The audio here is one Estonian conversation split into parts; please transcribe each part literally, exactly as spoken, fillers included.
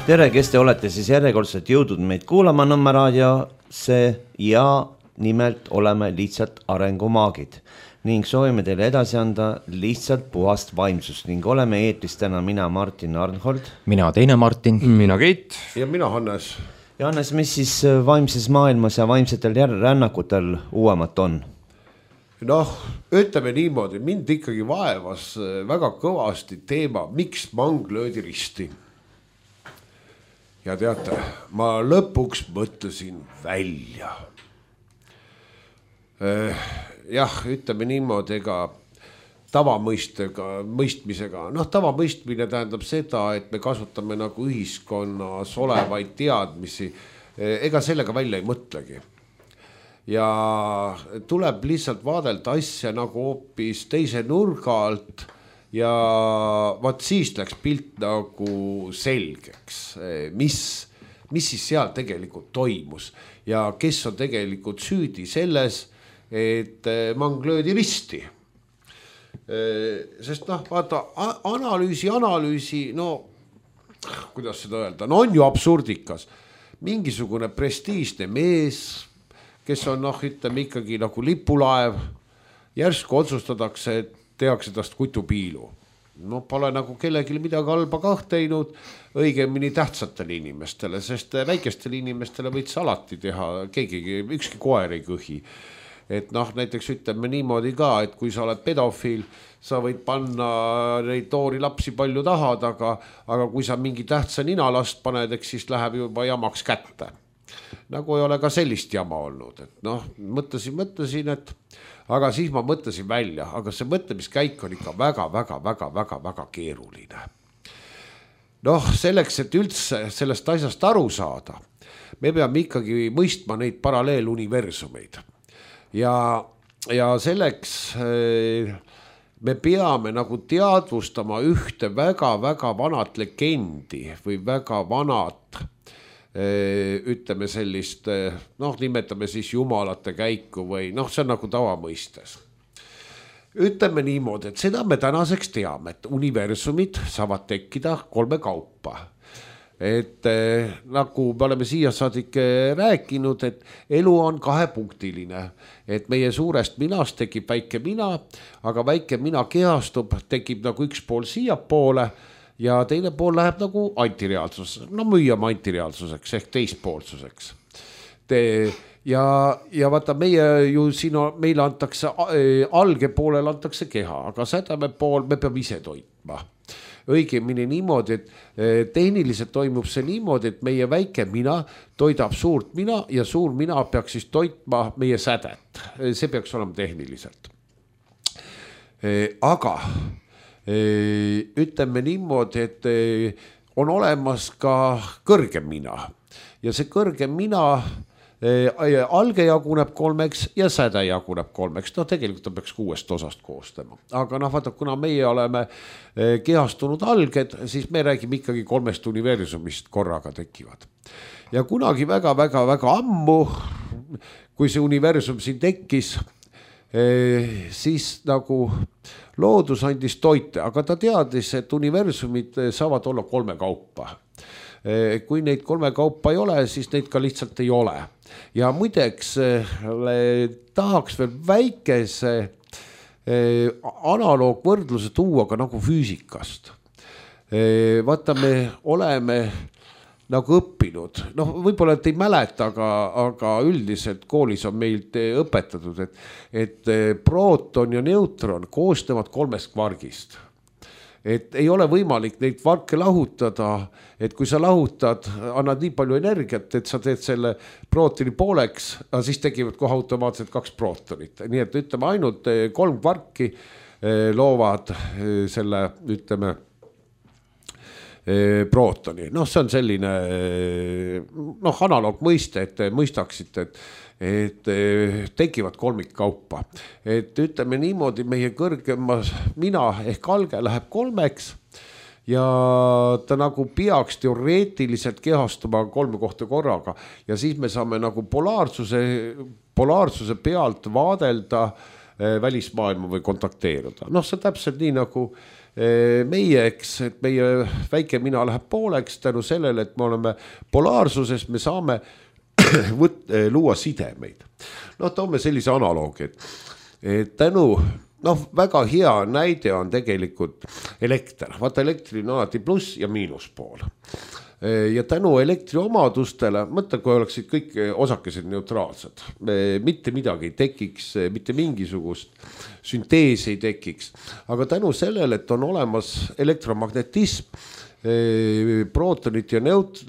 Tere, kes te olete siis järjekordselt jõudnud meid kuulama Nõmme raadiosse ja nimelt oleme lihtsalt arengumaagid ning soovime teile edasi anda lihtsalt puhast vaimsust ning oleme eetris täna mina Martin Arnhold. Mina teine Martin. Mina Keit. Ja mina Hannes. Ja Hannes, mis siis vaimses maailmas ja vaimsetel rännakutel uuemat on? Noh, ütleme niimoodi, mind ikkagi vaevas väga kõvasti teema, miks mang löödi risti. Ja teate, ma lõpuks mõtlesin välja. Jah, ütleme niimoodi, ega tavamõistega, mõistmisega. Noh, tavamõistmine tähendab seda, et me kasutame nagu ühiskonnas olevaid teadmisi. Ega sellega välja ei mõtlegi. Ja tuleb lihtsalt vaadelda asja nagu hoopis teise nurga alt. Ja vaat siis läks pilt nagu selgeks, mis, mis siis seal tegelikult toimus ja kes on tegelikult süüdi selles, et mang löödi risti. Sest noh, vaata, analüüsi, analüüsi, no kuidas seda öelda, no on ju absurdikas. Mingisugune prestiižne mees, kes on noh, ütleme ikkagi nagu lipulaev, järsku otsustadakse, et tehakse tast kutupiilu. No pole nagu kellelgi midagi halba kah teinud, õigemini tähtsatele inimestele, sest väikestele inimestele võiks alati teha, keegi, ükski koer ei kõhi. Et noh, näiteks ütleme niimoodi ka, et kui sa oled pedofiil, sa võid panna neid toori lapsi palju tahad, aga, aga kui sa mingi tähtsa ninalast paned, eks siis läheb juba jamaks kätte. Nagu ei ole ka sellist jama olnud, et noh, mõtlesin, mõtlesin, et aga siis ma mõtlesin välja, aga see mõtlemiskäik on ikka väga, väga, väga, väga, väga keeruline. Noh, selleks, et üldse sellest asjast aru saada, me peame ikkagi mõistma neid paralleeluniversumeid. Ja, ja selleks me peame nagu teadvustama ühte väga, väga vanat legendi või väga vanat ütleme sellist, noh, nimetame siis jumalate käiku või noh, see on nagu tavamõistes. Ütleme niimoodi, et seda me tänaseks teame, et universumid saavad tekkida kolme kaupa. Et nagu me oleme siia saadik rääkinud, et elu on kahepunktiline, et meie suurest minast tekib väike mina, aga väike mina kehastub, tekib nagu üks pool siia poole, ja teine pool läheb nagu antireaalsus, no müüame antireaalsuseks ehk teispoolsuseks. Te, ja, ja vaata meie ju siin on, meile antakse, alge poolel antakse keha, aga sädame pool me peame ise toitma. Õigemini niimoodi, et tehniliselt toimub see niimoodi, et meie väike mina toidab suurt mina ja suur mina peaks siis toitma meie sädet. See peaks olema tehniliselt. Aga ütleme niimoodi, et on olemas ka kõrgem mina ja see kõrgem mina alge jaguneb kolmeks ja säde jaguneb kolmeks. No tegelikult ta peaks kuuest osast koostama. Aga noh, vaata, kuna meie oleme kehastunud alged, siis me räägime ikkagi kolmest universumist korraga tekivad. Ja kunagi väga, väga, väga ammu, kui see universum siin tekkis, siis nagu loodus andis toite, aga ta teadis, et universumid saavad olla kolme kaupa. Kui neid kolme kaupa ei ole, siis neid ka lihtsalt ei ole. Ja muideks tahaks veel väikese analoogvõrdluse tuua ka nagu füüsikast. Vaata, me oleme nagu õppinud, noh, võib-olla et ei mäleta, aga, aga üldiselt koolis on meilt õpetatud, et, et prooton ja neutron koosnevad kolmest kvargist. Et ei ole võimalik neid kvarke lahutada, et kui sa lahutad, annad nii palju energiat, et sa teed selle prootoni pooleks, aga siis tekivad kohe automaatselt kaks prootonit. Nii et ütleme, ainult kolm kvarki loovad selle, ütleme, prootoni. Noh, see on selline noh, analoog mõiste, et mõistaksite, et, et tekivad kolmik kaupa. Et ütleme niimoodi, meie kõrgemas mina ehk alge läheb kolmeks ja ta nagu peaks teoreetiliselt kehastuma kolme kohta korraga ja siis me saame nagu polaarsuse, polaarsuse pealt vaadelda välismaailma või kontakteeruda. Noh, see täpselt nii nagu meie, eks, et meie väike mina läheb pooleks tänu sellele, et me oleme polaarsuses, me saame võt, luua sidemeid. No toome sellise analoogi, et, et tänu, noh, väga hea näide on tegelikult elekter. Vaata, elektri on alati pluss ja miinuspool. Ja tänu elektri omadustele, mõtle, kui oleksid kõik osakesed neutraalsed, mitte midagi ei tekiks, mitte mingisugust sünteesi ei tekiks. Aga tänu sellele, et on olemas elektromagnetism, Protonid ja, neut,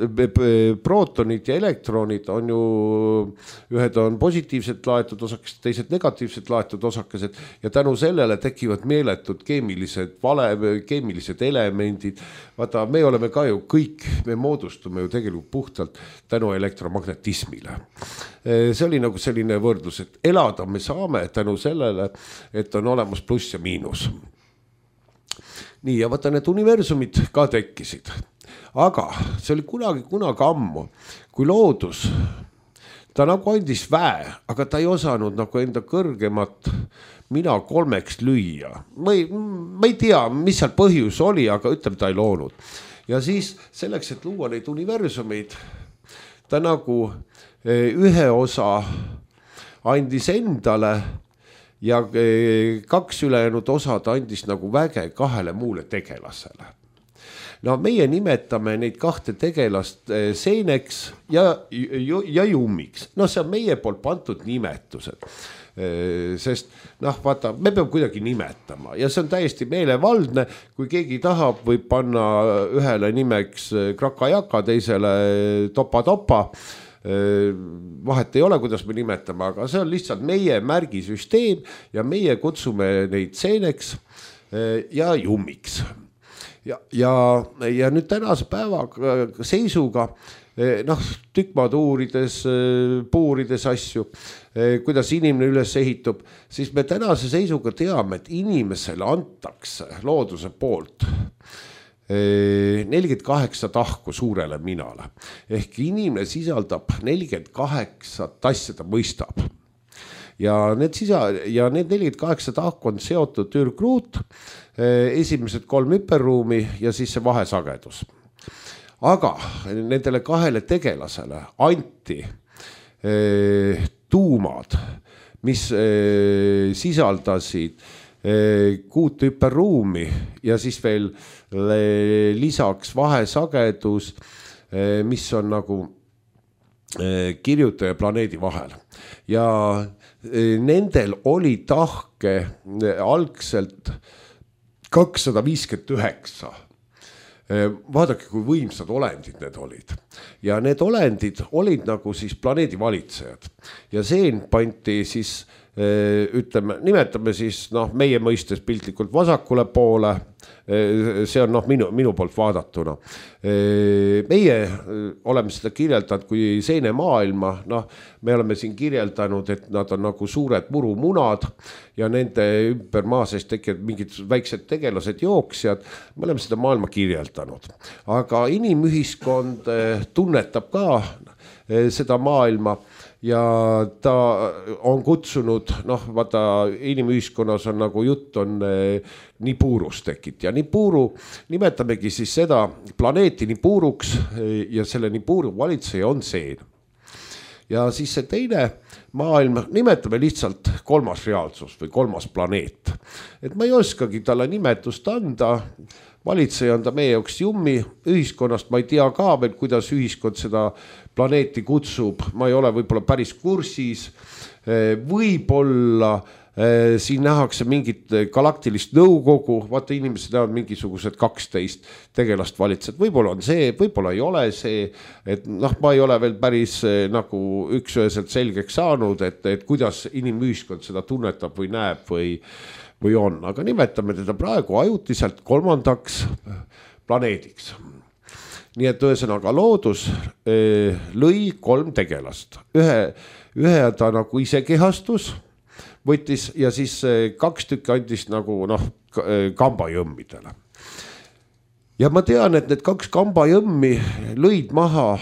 protonid ja elektronid on ju, ühed on positiivselt laetud osakesed, teised negatiivselt laetud osakesed ja tänu sellele tekivad meeletud keemilised, vale, keemilised elemendid. Vaata, me oleme ka ju kõik, me moodustume ju tegelikult puhtalt tänu elektromagnetismile. See oli nagu selline võrdlus, et elada me saame tänu sellele, et on olemas pluss ja miinus. Nii, ja vaata, need universumid ka tekkisid. Aga see oli kunagi, kunagi ammu, kui loodus, ta nagu andis väe, aga ta ei osanud nagu enda kõrgemat mina kolmeks lüüa. Ma ei, ma ei tea, mis seal põhjus oli, aga ütleme, ta ei loonud. Ja siis selleks, et luua neid universumeid, ta nagu ühe osa andis endale, ja kaks ülejäänud osad andis nagu väge kahele muule tegelasele. No meie nimetame neid kahte tegelast seeneks ja, ja jummiks. No see on meie poolt pandud nimetused. Sest noh, vaata, me peame kuidagi nimetama ja see on täiesti meelevaldne, kui keegi tahab, võib panna ühele nimeks krakajaka, teisele topa-topa. Vahet ei ole, kuidas me nimetame, aga see on lihtsalt meie märgisüsteem ja meie kutsume neid seeneks ja jummiks. Ja, ja, ja nüüd tänase päeva seisuga, noh, tükmaad uurides, puurides asju, kuidas inimene üles ehitub, siis me tänase seisuga teame, et inimesele antakse looduse poolt nelikümmend kaheksa tahku suurele minale. Ehk inimene sisaldab nelikümmend kaheksa asja, ta mõistab. Ja need, sisa, ja need nelikümmend kaheksa tahku on seotud ürgruut, esimesed kolm hüperruumi ja siis see vahesagedus. Aga nendele kahele tegelasele anti eh, tuumad, mis eh, sisaldasid kuut hüperruumi ja siis veel lisaks vahesagedus, mis on nagu kirjutaja planeedi vahel. Ja nendel oli tahke algselt kakssada viiskümmend üheksa. Vaadake, kui võimsad olendid need olid. Ja need olendid olid nagu siis planeedi valitsejad. Ja seen pandi siis ütleme, nimetame siis noh, meie mõistes piltlikult vasakule poole, see on noh, minu, minu poolt vaadatuna. Meie oleme seda kirjeldanud kui seene maailma, noh, me oleme siin kirjeldanud, et nad on nagu suured murumunad ja nende ümber maa sees tekivad mingid väiksed tegelased, jooksjad, me oleme seda maailma kirjeldanud. Aga inimühiskond tunnetab ka seda maailma ja ta on kutsunud, noh, vaata, inimühiskonnas on nagu jutt on Nibiru's tekit ja Nibiru nimetamegi siis seda planeeti Nibiruks ja selle Nibiru valitseja on seen. Ja siis see teine maailm nimetame lihtsalt kolmas reaalsus või kolmas planeet. Et ma ei oskagi talle nimetust anda, valitseja on ta meie jaoks jummi, ühiskonnast ma ei tea ka veel, kuidas ühiskond seda planeeti kutsub, ma ei ole võib-olla päris kursis, võib-olla siin nähakse mingit galaktilist nõukogu, vaata inimesed näevad mingisugused kaksteist tegelast valitsed, võib-olla on see, võib-olla ei ole see, et noh, ma ei ole veel päris nagu üksüheselt selgeks saanud, et, et kuidas inimühiskond seda tunnetab või näeb või, või on, aga nimetame teda praegu ajutiselt kolmandaks planeediks. Nii et ühesõnaga loodus lõi kolm tegelast, ühe, ühe ta nagu ise kehastus, võttis ja siis kaks tükki andis nagu noh, kambajõmmidele. Ja ma tean, et need kaks kambajõmmi lõid maha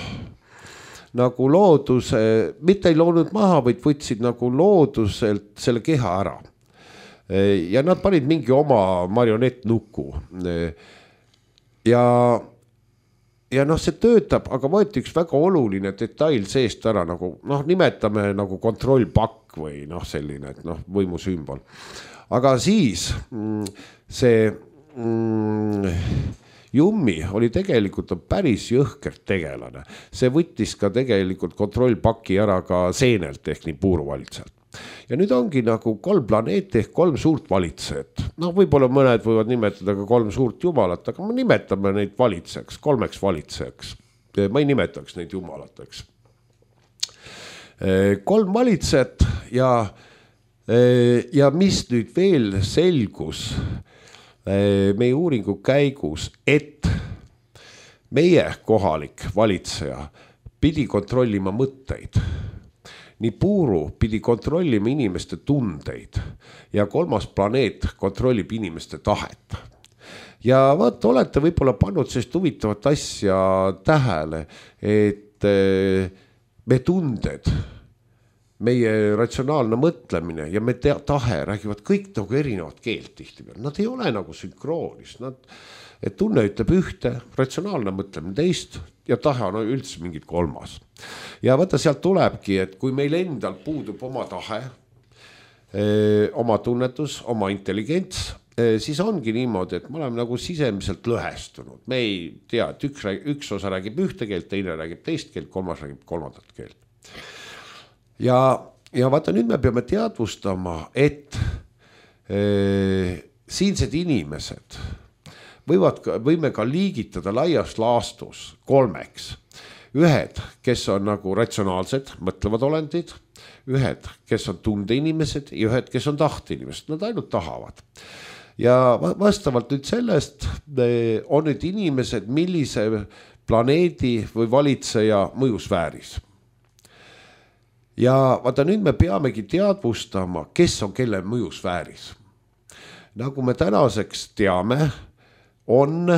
nagu looduse, mitte ei loonud maha, vaid võtsid nagu looduselt selle keha ära. ja nad panid mingi oma marionettnuku ja ja noh, see töötab, aga võeti üks väga oluline detail seest ära, nagu noh, nimetame nagu kontrollpakk või noh, selline, et noh, võimusümbol. Aga siis see mm, Jummi oli tegelikult päris jõhkert tegelane. See võttis ka tegelikult kontrollpaki ära ka seenelt ehk nii puuruvalitsejalt. Ja nüüd ongi nagu kolm planeeti ehk kolm suurt valitsejat. Noh, võib-olla mõned võivad nimetada ka kolm suurt jumalat, aga me nimetame neid valitsejaks, kolmeks valitsejaks. Ma ei nimetaks neid jumalateks. Kolm valitsejat ja, ja mis nüüd veel selgus meie uuringu käigus, et meie kohalik valitseja pidi kontrollima mõtteid. Nii puuru pidi kontrollima inimeste tundeid ja kolmas planeet kontrollib inimeste tahet. Ja vaat olete võib-olla pannud sellist huvitavat asja tähele, et me tunded, meie ratsionaalne mõtlemine ja me tahe räägivad kõik nagu erinevat keelt tihti peal. Nad ei ole nagu sünkroonis. Nad, et tunne ütleb ühte, ratsionaalne mõtlemine teist ja tahe on üldse mingid kolmas. Ja vaata sealt tulebki, et kui meil endal puudub oma tahe, oma tunnetus, oma intelligents, siis ongi niimoodi, et me oleme nagu sisemiselt lõhestunud. Me ei tea, et üks, üks osa räägib ühte keelt, teine räägib teist keelt, kolmas räägib kolmandat keelt. Ja, ja vaata nüüd me peame teadvustama, et e, siinsed inimesed võivad, võime ka liigitada laias laastus kolmeks. Ühed, kes on nagu ratsionaalsed, mõtlevad olendid, ühed, kes on tundeinimesed ja ühed, kes on tahteinimesed, nad ainult tahavad. Ja vastavalt nüüd sellest on nüüd inimesed, millise planeedi või valitseja mõjusfääris. Ja vaata nüüd me peamegi teadvustama, kes on kelle mõjusfääris. Nagu me tänaseks teame, on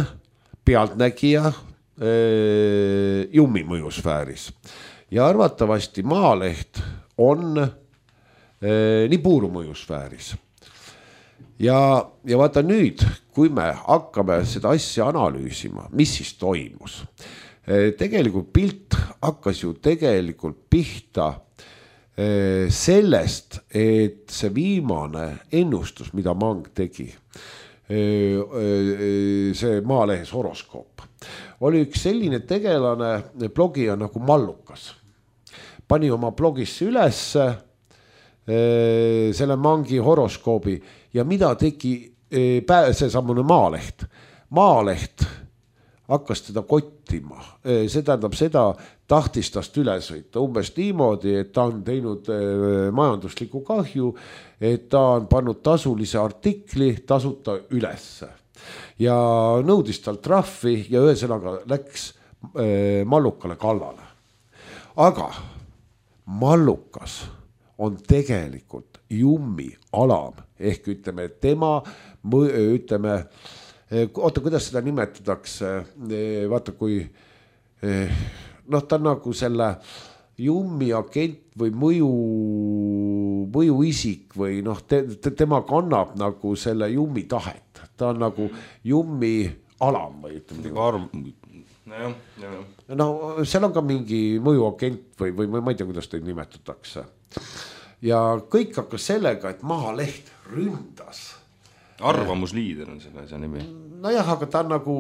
pealtnägija e, Jummi mõjusfääris. Ja arvatavasti Maaleht on e, nii puuru mõjusfääris. Ja, ja vaata nüüd, kui me hakkame seda asja analüüsima, mis siis toimus. E, tegelikult pilt hakkas ju tegelikult pihta sellest, et see viimane ennustus, mida Mang tegi, see Maalehes horoskoop, oli üks selline tegelane blogija nagu Mallukas. Pani oma blogisse ülesse selle Mangi horoskoobi ja mida tegi see sammune Maaleht. Maaleht hakkas teda kottima. See tähendab seda, tahtis tast üle sõita umbes niimoodi, et ta on teinud majandusliku kahju, et ta on pannud tasulise artikli tasuta ülesse. Ja nõudis tal trahvi ja ühesõnaga läks Mallukale kallale. Aga Mallukas on tegelikult Jummi alam ehk ütleme tema, ütleme, oota, kuidas seda nimetatakse, vaata kui noh, ta on nagu selle Jummi agent või mõju, mõjuisik või noh, te, te, tema kannab nagu selle Jummi tahet. Ta on nagu Jummi alam või ütleme. Arv... No, jah, jah. no seal on ka mingi mõjuagent või, või ma ei tea, kuidas teid nimetatakse. Ja kõik hakkas sellega, et Maaleht ründas. Arvamusliider on selle asja nimi. No jah, aga ta on nagu,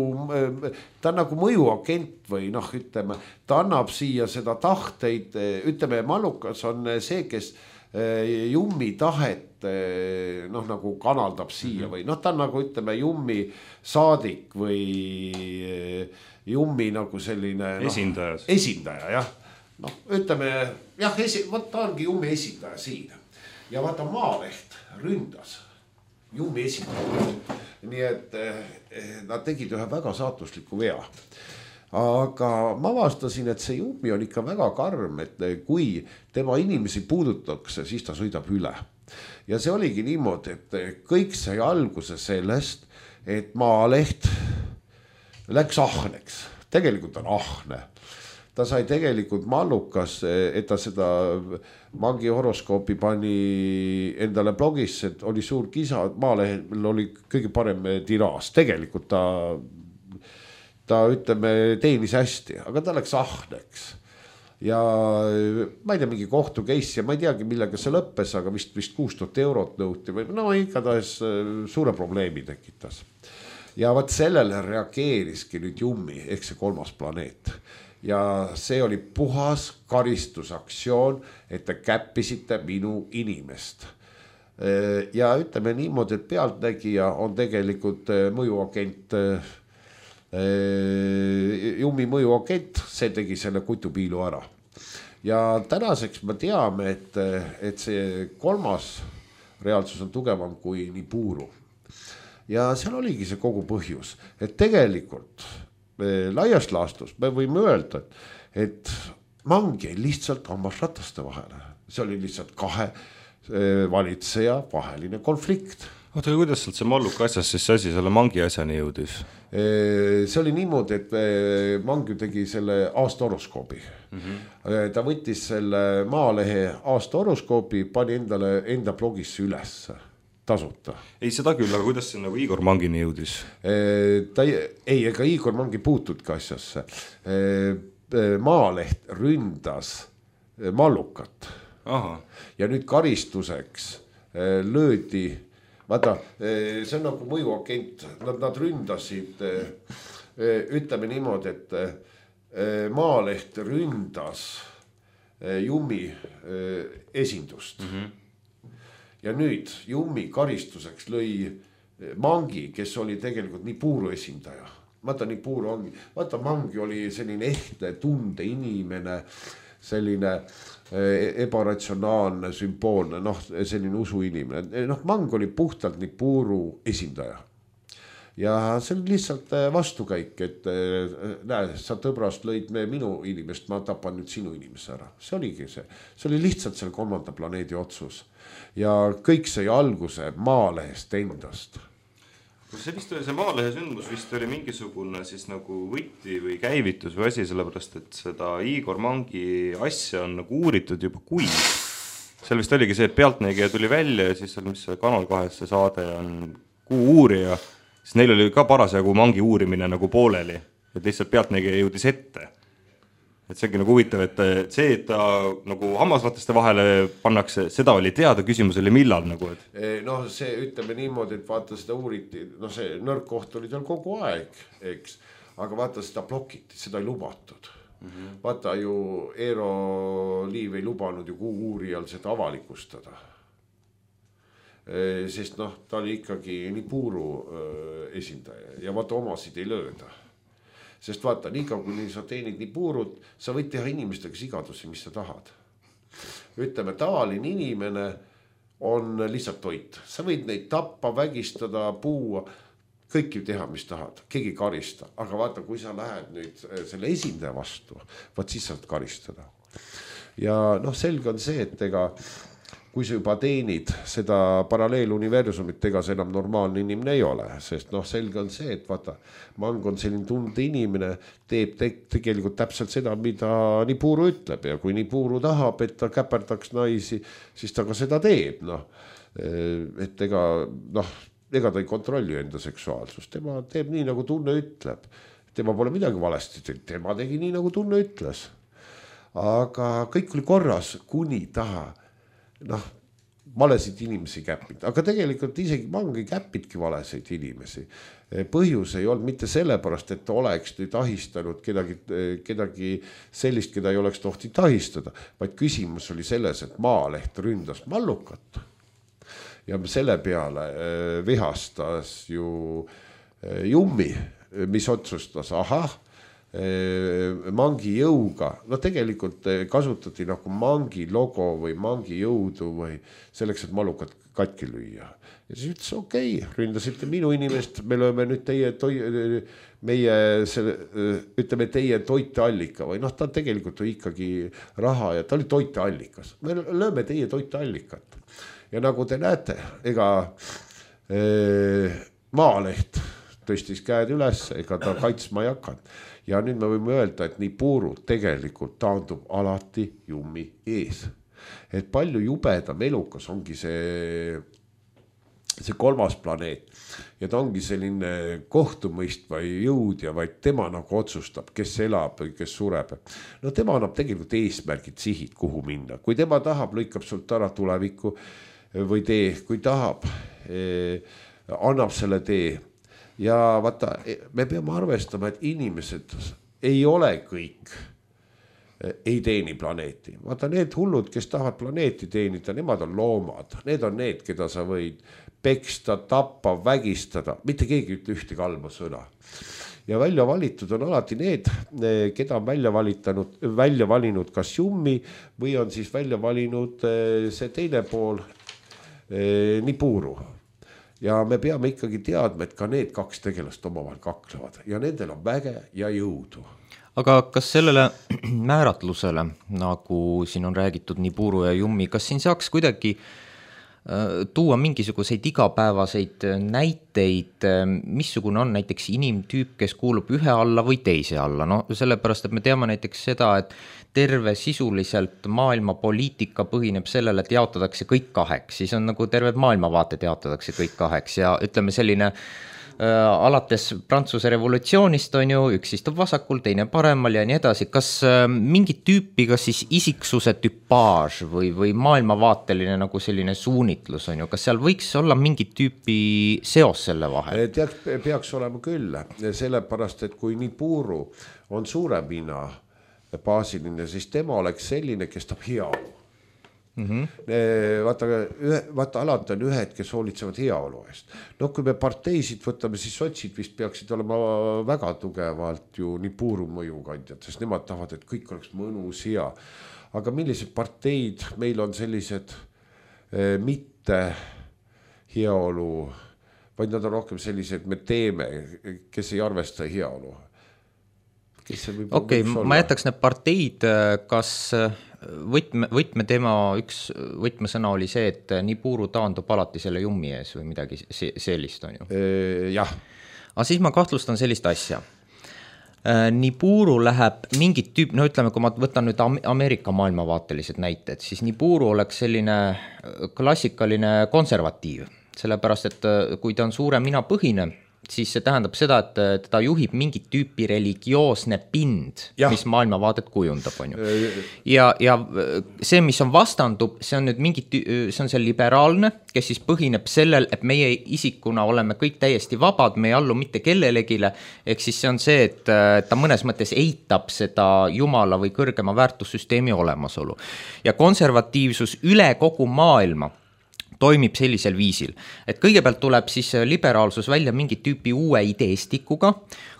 ta on nagu mõjuagent või noh, ütleme, ta annab siia seda tahteid, ütleme, Mallukas on see, kes Jummi tahet noh, nagu kanaldab siia või noh, ta on nagu, ütleme, Jummi saadik või Jummi nagu selline no, esindaja. Esindaja, jah. Noh, ütleme, jah, esi, võt, ta ongi Jummi esindaja siin. Ja vaata, Maaleht ründas Jummi esindaja. Nii et eh, nad tegid ühe väga saatusliku vea. Aga ma avastasin, et see Jummi on ikka väga karm, et kui tema inimesi puudutakse, siis ta sõidab üle. Ja see oligi niimoodi, et kõik sai alguse sellest, et Maaleht läks ahneks. Tegelikult on ahne. ta sai tegelikult mallukas, et ta seda Mangi horoskoopi pani endale blogisse, et oli suur kisa, Maalehel oli kõige parem tiraaž, tegelikult ta, ta ütleme, teenis hästi, aga ta läks ahneks. Ja ma ei tea, mingi kohtu case ja ma ei teagi, millega see lõppes, aga vist, vist kuus tuhat eurot nõuti või no igatahes suure probleemi tekitas. Ja vaat sellele reageeriski nüüd Jummi, ehk see kolmas planeet. Ja see oli puhas karistusaktsioon, et te käppisite minu inimest. Ja ütleme niimoodi, et pealtnägija on tegelikult mõjuagent, Jummi mõjuagent, see tegi selle kutupiilu ära. Ja tänaseks me teame, et, et see kolmas reaalsus on tugevam kui Nibiru. Ja seal oligi see kogu põhjus, et tegelikult laias laastus me võime öelda, et Mang jäi lihtsalt hammas rataste vahele. See oli lihtsalt kahe valitseja vaheline konflikt. Oota, kuidas sealt see malluka asjas siis asi selle Mangi asjani jõudis? See oli niimoodi, et Mang ju tegi selle aasta horoskoobi. Mm-hmm. Ta võttis selle Maalehe aasta horoskoobi, pani endale enda blogisse üles. Tasuta. Ei, seda küll, aga kuidas see nagu Igor Mangini jõudis? Ta ei, ei, ega Igor Mangi puutudki asjasse. Maaleht ründas mallukat. Aha. Ja nüüd karistuseks löödi, vaata, see on nagu mõjuagent, nad, nad ründasid, ütleme niimoodi, et Maaleht ründas Jummi esindust. Mhm. Ja nüüd Jummi karistuseks lõi Mangi, kes oli tegelikult Nibiru esindaja. Vaata Nibiru ongi, vaata Mangi oli selline ehtne tunde inimene, selline ebaratsionaalne, sümboolne, noh, selline usu inimene. Noh, Mang oli puhtalt Nibiru esindaja. Ja see oli lihtsalt vastukäik, et näe, sa tõbrast lõid me minu inimest, ma tapan nüüd sinu inimese ära. See oligi see. See oli lihtsalt selle kolmanda planeedi otsus. Ja kõik sai alguse Maalehest endast. See vist oli see Maalehe sündmus, vist oli mingisugune siis nagu võti või käivitus või asi, sellepärast, et seda Igor Mangi asja on nagu uuritud juba kuid. Seal vist oligi see, et pealtnägija tuli välja ja siis seal, mis see Kanal kahes see saade on Kuu uurija, siis neil oli ka parasjagu Mangi uurimine nagu pooleli, et lihtsalt pealtnägija jõudis ette. Et see ongi nagu huvitav, et see, et ta nagu hammasrateste vahele pannakse, seda oli teada, küsimus oli millal nagu, et... No see ütleme niimoodi, et vaata seda uuriti, no see nõrk koht oli tal kogu aeg, eks, aga vaata seda blokiti, seda ei lubatud. Mm-hmm. Vaata ju Eero Liiv ei lubanud ju Kuu uurijal seda avalikustada. Sest noh, ta oli ikkagi Nibiru esindaja ja vaata omasid ei lööda. Sest vaata, nii kaua kui sa teenid Nibirut, sa võid teha inimestega sigadusi, mis sa tahad. Ütleme, tavaline inimene on lihtsalt toit. Sa võid neid tappa, vägistada, puua, kõiki teha, mis tahad. Keegi karista. Aga vaata, kui sa lähed nüüd selle esindaja vastu, vaat siis saad karistada. Ja noh, selge on see, et ega kui sa juba teenid seda paralleeluniversumit, ega see enam normaalne inimene ei ole, sest noh, selge on see, et vaata, Mang on selline tunde inimene, teeb te tegelikult täpselt seda, mida Nibiru ütleb ja kui Nibiru tahab, et ta käperdaks naisi, siis ta ka seda teeb, noh, et ega, noh, ega ta ei kontrolli enda seksuaalsust, tema teeb nii, nagu tunne ütleb, tema pole midagi valesti, tema tegi nii, nagu tunne ütles, aga kõik oli korras, kuni taha noh, valesid inimesi käppid, aga tegelikult isegi Mang ei käppidki valesid inimesi. Põhjus ei olnud mitte sellepärast, et ta oleks nüüd ahistanud kedagi, kedagi sellist, keda ei oleks tohti tahistada, vaid küsimus oli selles, et Maaleht ründas mallukat ja selle peale vihastas ju Jummi, mis otsustas, ahah, Mangi jõuga, no tegelikult kasutati nagu Mangi logo või Mangi jõudu või selleks, et mallukat katki lüüa. Ja siis ütles, okei, okay, ründasite minu inimest, me lööme nüüd teie, toi, meie, selle, ütleme teie toiteallika või noh, ta tegelikult oli ikkagi raha ja ta oli toiteallikas. Me lööme teie toiteallikat. Ja nagu te näete, ega eh, Maaleht tõstis käed üles, ega ta kaitsma ei hakanud. Ja nüüd me võime öelda, et Nibiru tegelikult taandub alati Jummi ees. Et palju jubedam elukas ongi see, see kolmas planeet. Ja ta ongi selline kohtumõistva jõud ja vaid tema nagu otsustab, kes elab või kes sureb. No tema annab tegelikult eesmärgid, sihid, kuhu minna. Kui tema tahab, lõikab sult ära tulevikku või tee, kui tahab, eh, annab selle tee. Ja vaata, me peame arvestama, et inimesed ei ole kõik, ei teeni planeeti. Vaata, need hullud, kes tahavad planeeti teenida, nemad on loomad. Need on need, keda sa võid peksta, tappa, vägistada. Mitte keegi ütle ühte kalma sõna. Ja välja valitud on alati need, keda on välja, valitanud, välja valinud kas Jummi või on siis välja valinud see teine pool, Nibiru. Ja me peame ikkagi teadma, et ka need kaks tegelast omavahel kaklevad ja nendel on väge ja jõudu. Aga kas sellele määratlusele, nagu siin on räägitud Nibiru ja Jummi, kas siin saaks kuidagi tuua mingisuguseid igapäevaseid näiteid, missugune on näiteks inimtüüp, kes kuulub ühe alla või teise alla? No sellepärast, et me teame näiteks seda, et terve sisuliselt maailma poliitika põhineb sellele, et jaotatakse kõik kaheks, siis on nagu terved maailmavaated jaotatakse kõik kaheks ja ütleme selline äh, alates Prantsuse revolutsioonist on ju, üks istub vasakul, teine paremal ja nii edasi. Kas äh, mingit tüüpi, kas siis isiksuse tüpaaž või, või maailmavaateline nagu selline suunitlus on ju, kas seal võiks olla mingit tüüpi seos selle vahel? Teaks, peaks olema küll, sellepärast, et kui Nibiru on suuremina baasiline, siis tema oleks selline, kes tahab heaolu. Mm-hmm. Vaata, ühe, vaata, alati on ühed, kes hoolitsevad heaolu eest. No kui me parteisid võtame, siis sotsid vist peaksid olema väga tugevalt ju Nibiru mõjukandjad, sest nemad tahavad, et kõik oleks mõnus hea. Aga millised parteid meil on sellised eh, mitte heaolu, vaid nad on rohkem sellised, me teeme, kes ei arvesta heaolu. Okei, okay, ma jätaks need parteid, kas võtme, võtme tema üks võtmesõna oli see, et Nibiru taandub alati selle Jummi ees või midagi sellist on ju? Jah. Aga siis ma kahtlustan sellist asja. Nibiru läheb mingit tüüp, no ütleme, kui ma võtan nüüd Ameerika maailmavaatelised näited, siis Nibiru oleks selline klassikaline konservatiiv, sellepärast, et kui ta on suure mina põhine, siis see tähendab seda, et ta juhib mingit tüüpi religioosne pind, ja. Mis maailmavaadet kujundab, on ju. Ja, ja see, mis on vastandub, see on nüüd mingit, see on see liberaalne, kes siis põhineb sellel, et meie isikuna oleme kõik täiesti vabad, me ei allu mitte kellelegile, ehk siis see on see, et ta mõnes mõttes eitab seda jumala või kõrgema väärtussüsteemi olemasolu. Ja konservatiivsus üle kogu maailma toimib sellisel viisil, et kõigepealt tuleb siis liberaalsus välja mingi tüüpi uue ideestikuga,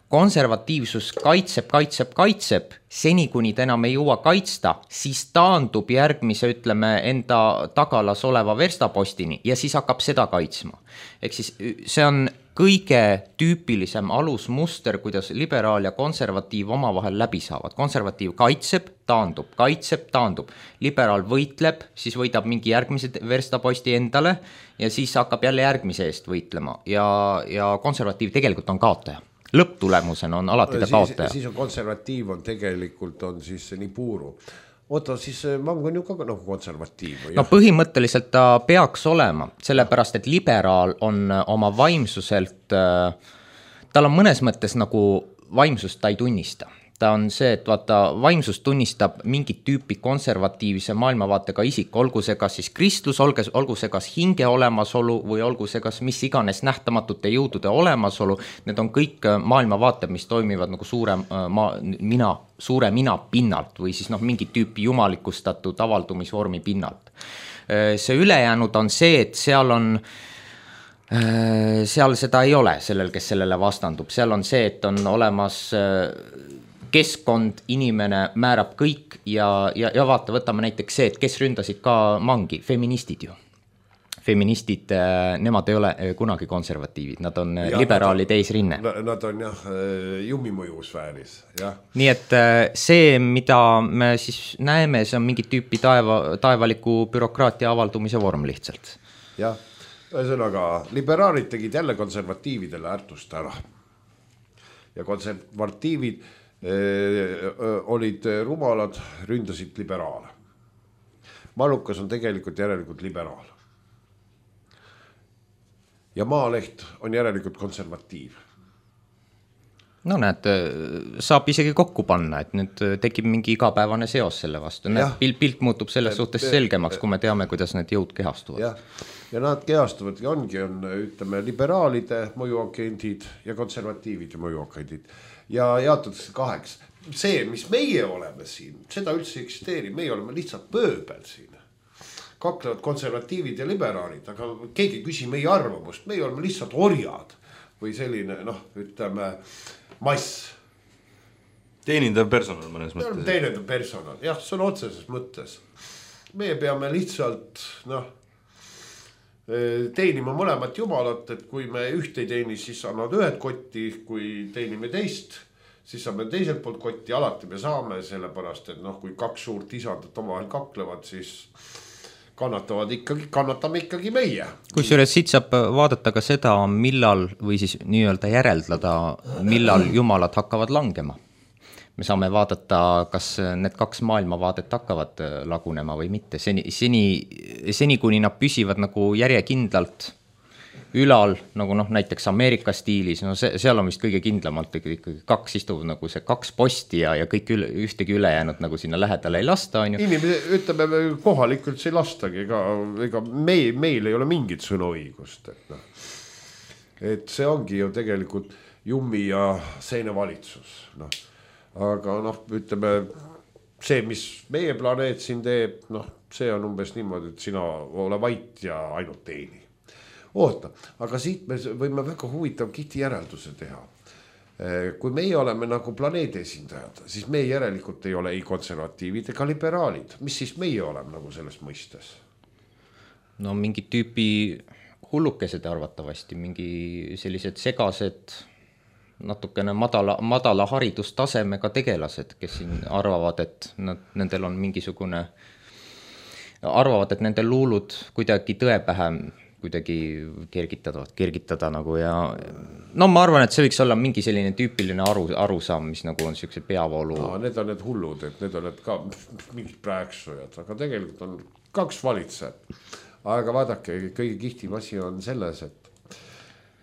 konservatiivsus kaitseb, kaitseb, kaitseb, seni kuni ta enam ei jõua kaitsta, siis taandub järgmise, ütleme, enda tagalas oleva verstapostini ja siis hakkab seda kaitsma. Ehk siis see on kõige tüüpilisem alusmuster, kuidas liberaal ja konservatiiv omavahel läbi saavad. Konservatiiv kaitseb, taandub, kaitseb, taandub. Liberaal võitleb, siis võidab mingi järgmise verstaposti endale ja siis hakkab jälle järgmise eest võitlema. Ja, ja konservatiiv tegelikult on kaotaja. Lõpptulemusena on alati ta kaotaja. Siis, siis on konservatiiv on tegelikult on siis Nibiru. Oota, siis Mang on ju ka nagu konservatiiv. No põhimõtteliselt ta peaks olema, sellepärast et liberaal on oma vaimsuselt, tal on mõnes mõttes nagu vaimsust ta ei tunnista. Ta on see, et vaata, vaimsus tunnistab mingit tüüpi konservatiivse maailmavaatega isik, olgu see kas siis kristlus, olgu see kas hinge olemasolu või olgu see kas mis iganes nähtamatute jõudude olemasolu, need on kõik maailmavaated, mis toimivad nagu suure, ma, mina, suure mina pinnalt või siis noh, mingit tüüpi jumalikustatud avaldumisvormi pinnalt. See ülejäänud on see, et seal on seal seda ei ole sellel, kes sellele vastandub, seal on see, et on olemas keskkond, inimene määrab kõik ja, ja, ja vaata, võtame näiteks see, et kes ründasid ka Mangi, feministid ju. Feministid, nemad ei ole kunagi konservatiivid, nad on ja, liberaalide eesrinne. Nad on jah, Jummi mõjusfääris. Jah. Nii et see, mida me siis näeme, see on mingit tüüpi taeva, taevaliku bürokraatia avaldumise vorm lihtsalt. Jah, ühesõnaga liberaalid tegid jälle konservatiividele ärtust ära. ja konservatiivid öö, olid rumalad, ründasid liberaale. Malukas on tegelikult järelikult liberaal. Ja Maaleht on järelikult konservatiiv. No näed, saab isegi kokku panna, et nüüd tekib mingi igapäevane seos selle vastu. Näed, pilt, pilt muutub selles suhtes selgemaks, kui me teame, kuidas need jõud kehastuvad. Ja, ja nad kehastuvad ja ongi, on, ütleme, liberaalide mõjuagendid ja konservatiivide mõjuagendid. Ja jaotatakse kaheks. See, mis meie oleme siin, seda üldse eksisteeri, meie oleme lihtsalt pööbel siin. Kaklevad konservatiivid ja liberaalid, aga keegi küsi meie arvamust, meie oleme lihtsalt orjad või selline, noh, ütleme, mass. Teenindav personal mõnes mõttes. Teenindav personal, jah, see on otseses mõttes. Meie peame lihtsalt, noh, teenima mõlemat jumalat, et kui me üht ei teeni, siis annavad ühed kotti, kui teenime teist, siis saame teiselt poolt kotti, alati me saame, sellepärast, et noh, kui kaks suurt isandat omavahel kaklevad, siis kannatavad ikkagi, kannatame ikkagi meie. Kusjuures siit saab vaadata ka seda, millal või siis nii-öelda järeldada, millal jumalad hakkavad langema. Me saame vaadata, kas need kaks maailmavaadet hakkavad lagunema või mitte. Seni, seni, seni kuni nad püsivad nagu järjekindlalt ülal, nagu noh, näiteks Ameerika stiilis, no see, seal on vist kõige kindlamalt ikkagi kaks istuv nagu see kaks posti ja, ja kõik üle, ühtegi ülejäänud nagu sinna lähedale ei lasta. On ju. Inimene, ütleme, kohalikult see ei lastagi, ega, ega meil, meil ei ole mingit sõnaõigust. Et, no. et see ongi ju tegelikult Jummi ja seine valitsus. No. Aga noh, ütleme, see, mis meie planeet siin teeb, noh, see on umbes niimoodi, et sina ole vait ja ainult teeni. Oota, aga siit me võime väga huvitav kihti järelduse teha. Kui meie oleme nagu planeedi esindajad, siis meie järelikult ei ole ei konservatiivid ega liberaalid. Mis siis meie oleme nagu selles mõistes? No mingi tüüpi hullukesed arvatavasti, mingi sellised segased, natukene madala, madala haridustasemega tegelased, kes siin arvavad, et nad, nendel on mingisugune, arvavad, et nendel luulud kuidagi tõepähe kuidagi kergitavad, kergitada nagu ja no ma arvan, et see võiks olla mingi selline tüüpiline aru, arusaam, mis nagu on selline peavoolu. No, need on need hullud, et need on need ka mingid prääksujad, aga tegelikult on kaks valitsejat. Aga vaadake, kõige kihtim asi on selles, et,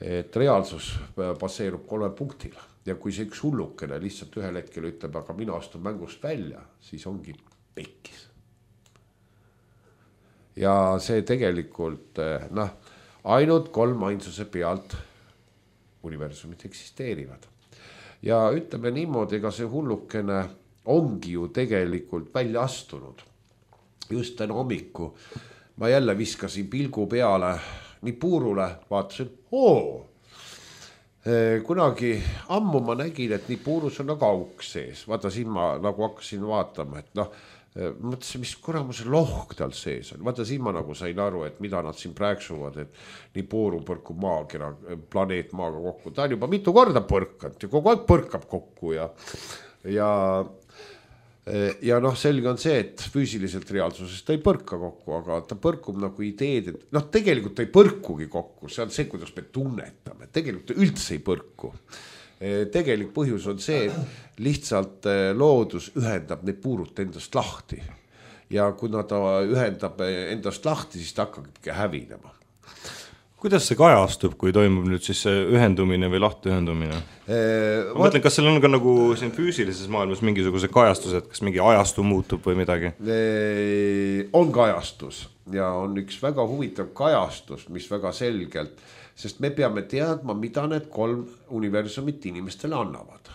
et reaalsus baseerub kolme punktil ja kui see üks hullukene lihtsalt ühel hetkel ütleb, aga mina astun mängust välja, siis ongi pekkis. Ja see tegelikult, noh, ainult kolm ainsuse pealt universumid eksisteerivad. Ja ütleme niimoodi, ega see hullukene ongi ju tegelikult välja astunud. Just täna hommiku ma jälle viskasin pilgu peale nii Puurule, vaatasin, oo, kunagi ammu ma nägin, et nii Puurus on nagu auk sees. Vaata siin ma nagu hakkasin vaatama, et noh, mõtlesin, mis kuramuse lohk tal sees on. Vaata siin ma nagu sain aru, et mida nad siin prääksuvad, et nii Puuru põrkub maakera, planeet maaga kokku. Ta on juba mitu korda põrkanud ja kogu aeg põrkab kokku ja, ja, ja noh, selge on see, et füüsiliselt reaalsuses ta ei põrka kokku, aga ta põrkub nagu ideed, et noh, tegelikult ta ei põrkugi kokku. See on see, kuidas me tunnetame. Tegelikult ta üldse ei põrku. Tegelik põhjus on see, et lihtsalt loodus ühendab need puurut endast lahti. Ja kui ta ühendab endast lahti, siis ta hakkabki hävinema. Kuidas see kajastub, kui toimub nüüd siis ühendumine või lahtiühendumine? Ma mõtlen, kas seal on ka nagu siin füüsilises maailmas mingisuguse kajastused, kas mingi ajastu muutub või midagi? On kajastus ja on üks väga huvitav kajastus, mis väga selgelt, sest me peame teadma, mida need kolm universumit inimestele annavad.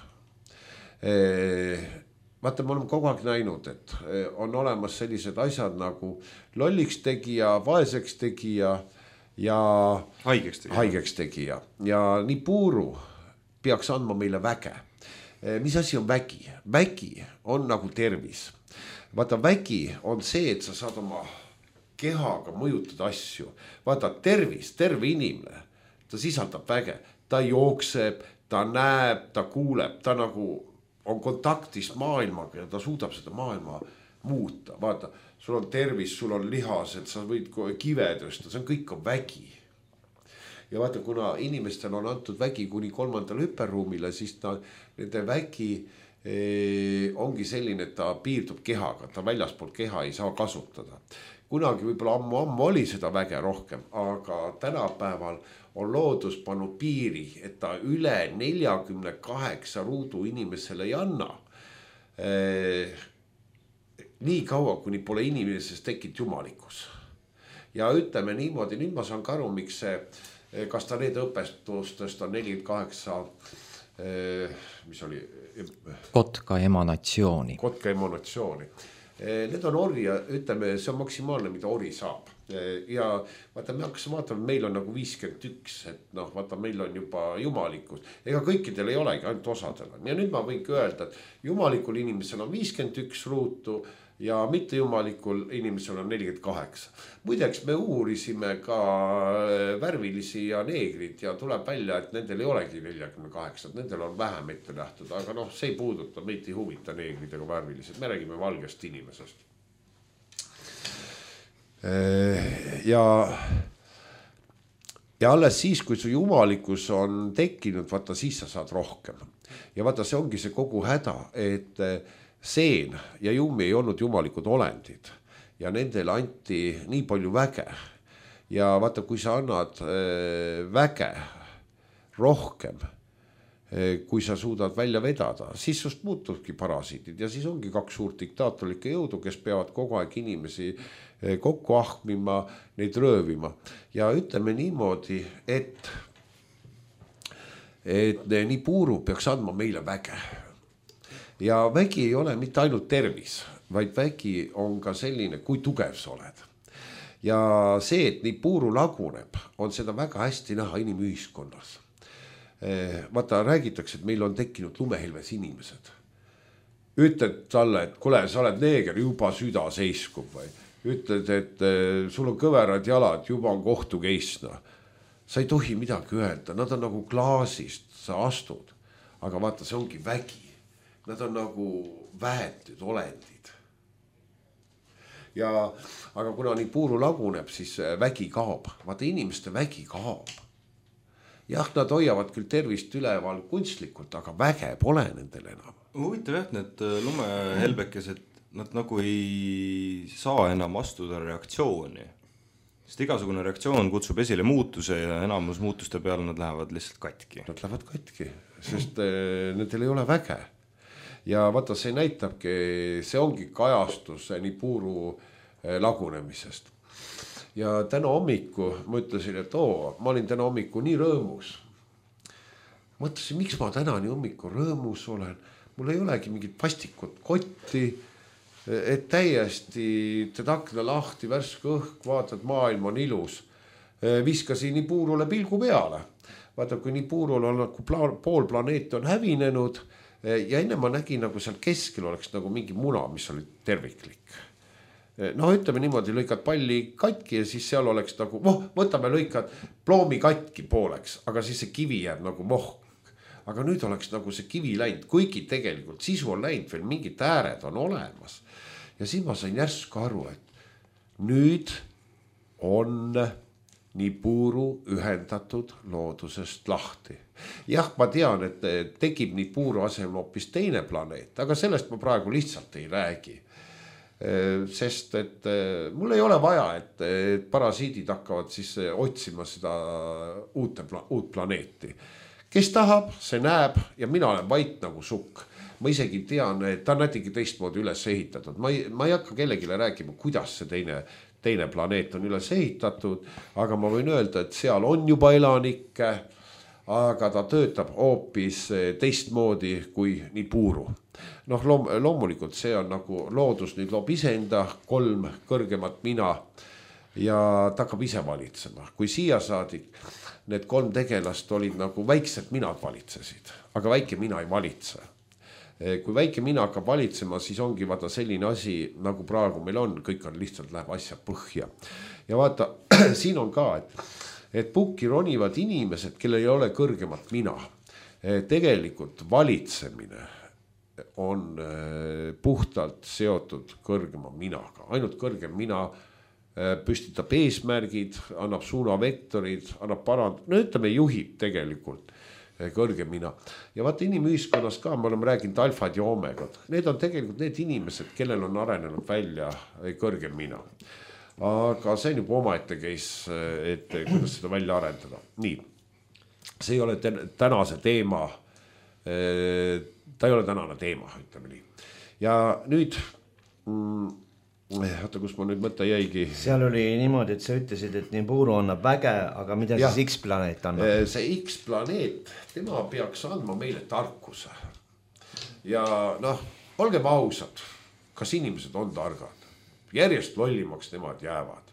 Vaata, me oleme kogu aeg näinud, et on olemas sellised asjad nagu lolliks tegija, vaeseks tegija ja haigeks tegija. haigeks tegija. Ja nii Puuru peaks andma meile väge. Mis asi on vägi? Vägi on nagu tervis. Vaata, vägi on see, et sa saad oma kehaga mõjutada asju. Vaata, tervis, terve inimene, ta sisaldab väge. Ta jookseb, ta näeb, ta kuuleb, ta nagu on kontaktis maailmaga ja ta suudab seda maailma muuta. Vaata, sul on tervis, sul on lihased, sa võid kive tõsta, see on kõik on vägi. ja vaata, kuna inimestel on antud vägi kuni kolmandale hüperruumile, siis ta, nende vägi eh, ongi selline, et ta piirdub kehaga, ta väljaspool keha ei saa kasutada. Kunagi võib-olla ammu-ammu oli seda väge rohkem, aga tänapäeval on loodus pannud piiri, et ta üle neljakümne kaheksa ruudu inimesele ei anna. Eh, nii kaua, kuni pole inimesest tekkinud jumalikkus. Ja ütleme niimoodi, nüüd ma saan ka aru, miks see, kas ta need õpestustest on nelikümmend kaheksa, eh, mis oli? Kotka emanatsiooni. Kotka emanatsiooni. Need on ori ja ütleme, see on maksimaalne, mida ori saab. Ja vaata, me hakkasime vaatama, meil on nagu viiskümmend üks, et noh, vaata, meil on juba jumalikkus. Ega kõikidel ei olegi, ainult osadel on. Ja nüüd ma võinki öelda, et jumalikul inimesel on viiskümmend üks ruutu ja mitte jumalikul inimesel on nelikümmend kaheksa. Muideks me uurisime ka värvilisi ja neegrid ja tuleb välja, et nendel ei olegi nelikümmend kaheksa, nendel on vähem ette nähtud, aga noh, see ei puuduta, meid ei huvita neegrid ega värvilised, me räägime valgest inimesest. Ja, ja alles siis, kui su jumalikkus on tekkinud, vaata, siis sa saad rohkem. Ja vaata, see ongi see kogu häda, et seen ja jummi ei olnud jumalikud olendid ja nendele anti nii palju väge. Ja vaata, kui sa annad väge rohkem, kui sa suudad välja vedada, siis sust muutuvadki parasiidid ja siis ongi kaks suurt diktaatorlikke jõudu, kes peavad kogu aeg inimesi kokku ahmima, neid röövima. Ja ütleme niimoodi, et, et nii puuru peaks andma meile väge. Ja vägi ei ole mitte ainult tervis, vaid vägi on ka selline, kui tugev sa oled. Ja see, et nii puuru laguneb, on seda väga hästi näha inimühiskonnas. Vaata, räägitakse, et meil on tekkinud lumehelves inimesed. Ütled talle, et kule, sa oled neeger, juba süda seiskub või. Ütled, et sul on kõverad jalad, juba on kohtu keisna. Sa ei tohi midagi öelda, nad on nagu klaasist, sa astud. Aga vaata, see ongi vägi. Nad on nagu väetud olendid. Ja, aga kuna nii puuru laguneb, siis vägi kaob. Vaata, inimeste vägi kaob. Jah, nad hoiavad küll tervist üleval kunstlikult, aga väge pole nendel enam. Huvitav jah, need lumehelbekesed, nad nagu ei saa enam astuda reaktsiooni. Sest igasugune reaktsioon kutsub esile muutuse ja enamus muutuste peale nad lähevad lihtsalt katki. Nad lähevad katki, sest nendel ei ole väge. Ja vaata, see näitabki, see ongi kajastus nii puuru lagunemisest. Ja täna hommiku ma ütlesin, et oo, ma olin täna hommiku nii rõõmus. Mõtlesin, miks ma täna nii hommiku rõõmus olen. Mul ei olegi mingit pastikut kotti, et täiesti teed akna lahti, värske õhk, vaatad, maailm on ilus. Viskasin nii puurule pilgu peale. Vaata, kui nii puurul on, kui pool planeet on hävinenud ja enne ma nägin, nagu seal keskel oleks nagu mingi muna, mis oli terviklik. No ütleme niimoodi, lõikad palli katki ja siis seal oleks nagu, voh, võtame lõikad ploomi katki pooleks, aga siis see kivi jääb nagu mohk. Aga nüüd oleks nagu see kivi läinud, kuigi tegelikult sisu on läinud, veel mingid ääred on olemas. Ja siis ma sain järsku aru, et nüüd on nii puuru ühendatud loodusest lahti. Jah, ma tean, et tekib nii puuru asemel hoopis teine planeet, aga sellest ma praegu lihtsalt ei räägi. Sest et mul ei ole vaja, et parasiidid hakkavad siis otsima seda uut, uut planeeti. Kes tahab, see näeb ja mina olen vait nagu sukk. Ma isegi tean, et ta on nätigi teistmoodi üles ehitatud. Ma ei, ma ei hakka kellegile rääkima, kuidas see teine, teine planeet on üles ehitatud, aga ma võin öelda, et seal on juba elanikke, aga ta töötab hoopis teistmoodi kui nii puuru. Noh, loom, loomulikult see on nagu loodus nüüd loob iseenda kolm kõrgemat mina ja ta hakkab ise valitsema. Kui siia saadik need kolm tegelast olid nagu väiksed minad valitsesid, aga väike mina ei valitse. Kui väike mina hakkab valitsema, siis ongi vaata selline asi, nagu praegu meil on, kõik on lihtsalt läheb asja põhja. Ja vaata, siin on ka, et, et pukki ronivad inimesed, kellel ei ole kõrgemat mina. Tegelikult valitsemine on puhtalt seotud kõrgema minaga. Ainult kõrgem mina püstitab eesmärgid, annab suunavektorid, annab parand-, no ütleme juhib tegelikult kõrgemina. Ja vaata inimühiskonnas ka, me oleme rääkinud alfad ja omegad. Need on tegelikult need inimesed, kellel on arenenud välja kõrgemina. Aga see on juba omaette case, et kuidas seda välja arendada. Nii, see ei ole tänase teema, ta ei ole tänane teema, ütleme nii. Ja nüüd... Mm, Oota, kus ma nüüd mõtta jäigi? Seal oli niimoodi, et sa ütlesid, et Nibiru annab väge, aga mida ja. siis X-planeet annab? See X-planeet, tema peaks andma meile tarkuse. Ja noh, olgem ausad, kas inimesed on targad? Järjest lollimaks nemad jäävad.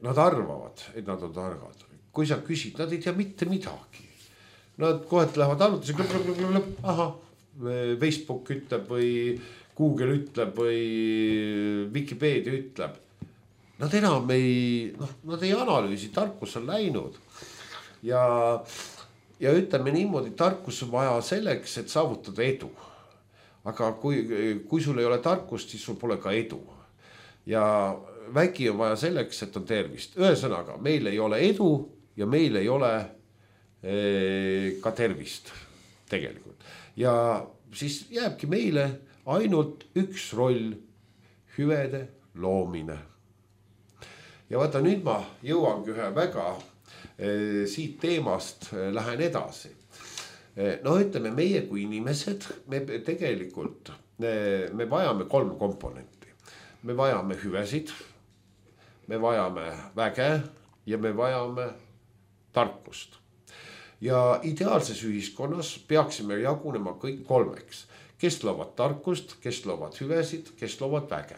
Nad arvavad, et nad on targad. Kui sa küsid, nad ei tea mitte midagi. Nad kohet lähevad arvutis, aha, Facebook ütleb või... Google ütleb või Wikipedia ütleb. Nad enam ei, noh, nad ei analüüsi, tarkus on läinud. Ja, ja ütleme niimoodi, tarkus on vaja selleks, et saavutada edu. Aga kui, kui sul ei ole tarkust, siis sul pole ka edu. Ja vägi on vaja selleks, et on tervist. Ühesõnaga, meil ei ole edu ja meil ei ole eh, ka tervist tegelikult. Ja siis jääbki meile ainult üks roll, hüvede loomine. Ja vaata, nüüd ma jõuangi ühe väga eh, siit teemast eh, lähen edasi. Eh, no ütleme, meie kui inimesed, me tegelikult, eh, me vajame kolm komponenti. Me vajame hüvesid, me vajame väge ja me vajame tarkust. Ja ideaalses ühiskonnas peaksime jagunema kõik kolmeks. Kes loovad tarkust, kes loovad hüvesid, kes loovad väge.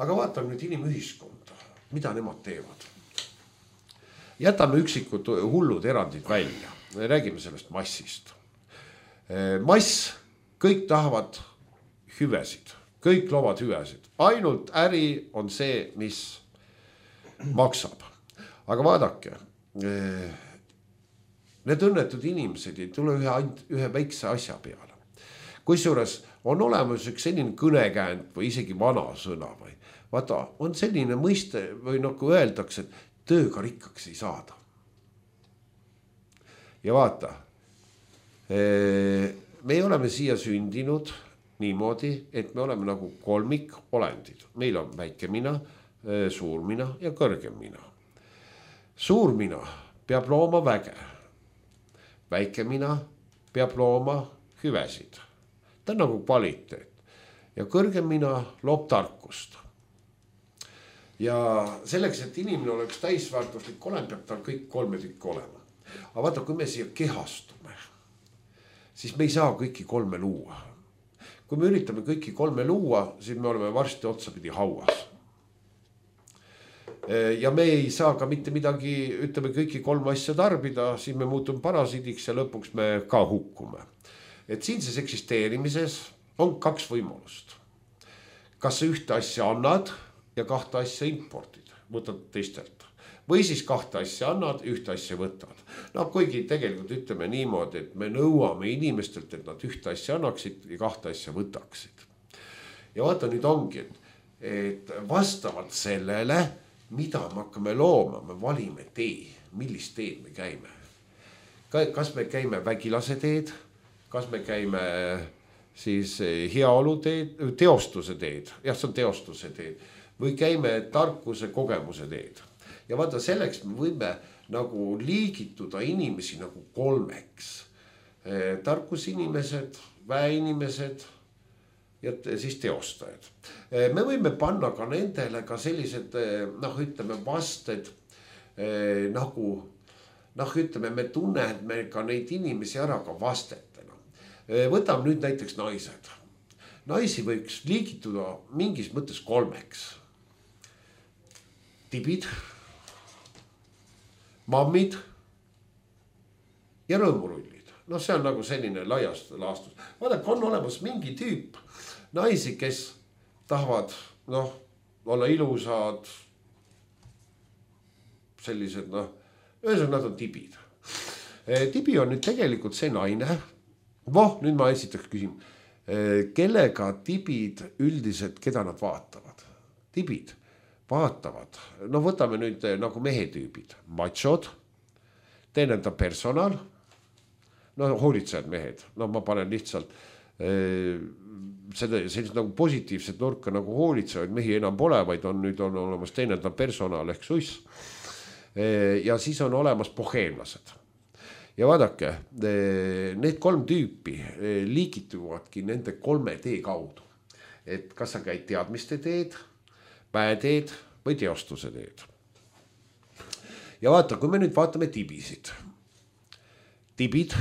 Aga vaatame nüüd inimühiskonda, mida nemad teevad. Jätame üksikud hullud erandid välja. Räägime sellest massist. Mass, kõik tahavad hüvesid, kõik loovad hüvesid. Ainult äri on see, mis maksab. Aga vaadake, need õnnetud inimesed ei tule ühe, ühe väikse asja peale. Kusjuures on olemas üks selline kõnekäänd või isegi vana sõna või vaata, on selline mõiste või nagu öeldakse, et tööga rikkaks ei saada. Ja vaata, me oleme siia sündinud niimoodi, et me oleme nagu kolmik olendid. Meil on väike mina, suur mina ja kõrgem mina. Suur mina peab looma väge. Väike mina peab looma hüvesid. Ta on nagu kvaliteet. Ja kõrgem mina loob tarkust. Ja selleks, et inimene oleks täisväärtuslik olema, peab tal kõik kolme tükki olema. Aga vaata, kui me siia kehastume, siis me ei saa kõiki kolme luua. Kui me üritame kõiki kolme luua, siis me oleme varsti otsapidi hauas. Ja me ei saa ka mitte midagi, ütleme kõiki kolm asja tarbida, siis me muutume parasiidiks ja lõpuks me ka hukkume. Et siinses eksisteerimises on kaks võimalust. Kas sa ühte asja annad ja kahte asja impordid, võtad teistelt. Või siis kahte asja annad, ühte asja võtad. No kuigi tegelikult ütleme niimoodi, et me nõuame inimestelt, et nad ühte asja annaksid ja kahte asja võtaksid. Ja vaata nüüd ongi, et, et vastavalt sellele, mida me hakkame looma, me valime tee, millist teed me käime. Kas me käime vägilase teed, kas me käime siis heaolu teed, teostuse teed, jah, see on teostuse teed, või käime tarkuse kogemuse teed. Ja vaata, selleks me võime nagu liigituda inimesi nagu kolmeks. Tarkusinimesed, väeinimesed ja siis teostajad. Me võime panna ka nendele ka sellised, noh, ütleme vasted nagu, noh, ütleme, me tunneme ka neid inimesi ära ka vastetena. Võtame nüüd näiteks naised. Naisi võiks liigituda mingis mõttes kolmeks. Tibid, mammid ja rõõmurullid. No see on nagu selline laiast laastus. Vaadake, on olemas mingi tüüp naisi, kes tahavad, noh, olla ilusad, sellised, noh, ühesõnaga nad on tibid. Tibi on nüüd tegelikult see naine. Voh, nüüd ma esitaks küsim, kellega tibid üldiselt, keda nad vaatavad? tibid vaatavad, no võtame nüüd nagu mehetüübid, machod, teenendav personal, no hoolitsejad mehed, no ma panen lihtsalt äh, seda sellist nagu positiivset nurka nagu hoolitsevaid mehi enam pole, vaid on nüüd on olemas teenendav personal ehk suss. Äh, ja siis on olemas boheemlased. Ja vaadake, äh, need kolm tüüpi äh, liigituvadki nende kolme tee kaudu. Et kas sa käid teadmiste teed, väeteed või teostuse teed. Ja vaata, kui me nüüd vaatame tibisid. Tibid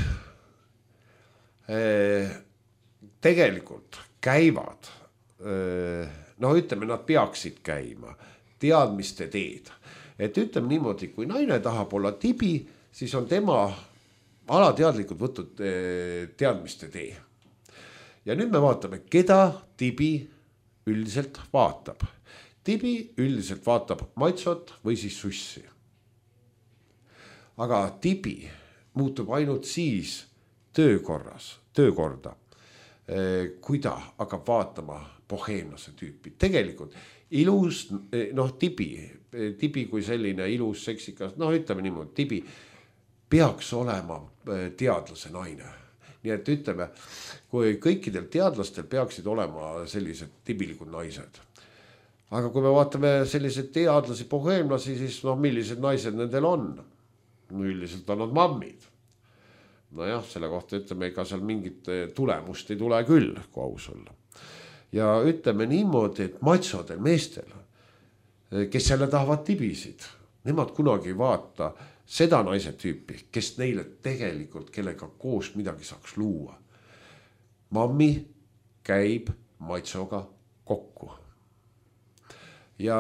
eh, tegelikult käivad, eh, no ütleme, nad peaksid käima teadmiste teed. Et ütleme niimoodi, kui naine tahab olla tibi, siis on tema alateadlikult võtnud eh, teadmiste tee. Ja nüüd me vaatame, keda tibi üldiselt vaatab. Tibi üldiselt vaatab maitsot või siis sussi. Aga tibi muutub ainult siis töökorras, töökorda, kui ta hakkab vaatama boheemlase tüüpi. Tegelikult ilus, noh tibi, tibi kui selline ilus, seksikas, noh ütleme niimoodi, tibi peaks olema teadlase naine. Nii et ütleme, kui kõikidel teadlastel peaksid olema sellised tibilikud naised. Aga kui me vaatame sellised teadlasi, boheemlasi, siis noh, millised naised nendel on? No üldiselt on nad mammid. No jah, selle kohta ütleme, ega seal mingit tulemust ei tule küll, kui aus olla. Ja ütleme niimoodi, et matsodel meestel, kes jälle tahavad tibisid, nemad kunagi ei vaata seda naise tüüpi, kes neile tegelikult, kellega koos midagi saaks luua. Mammi käib matsoga kokku. Ja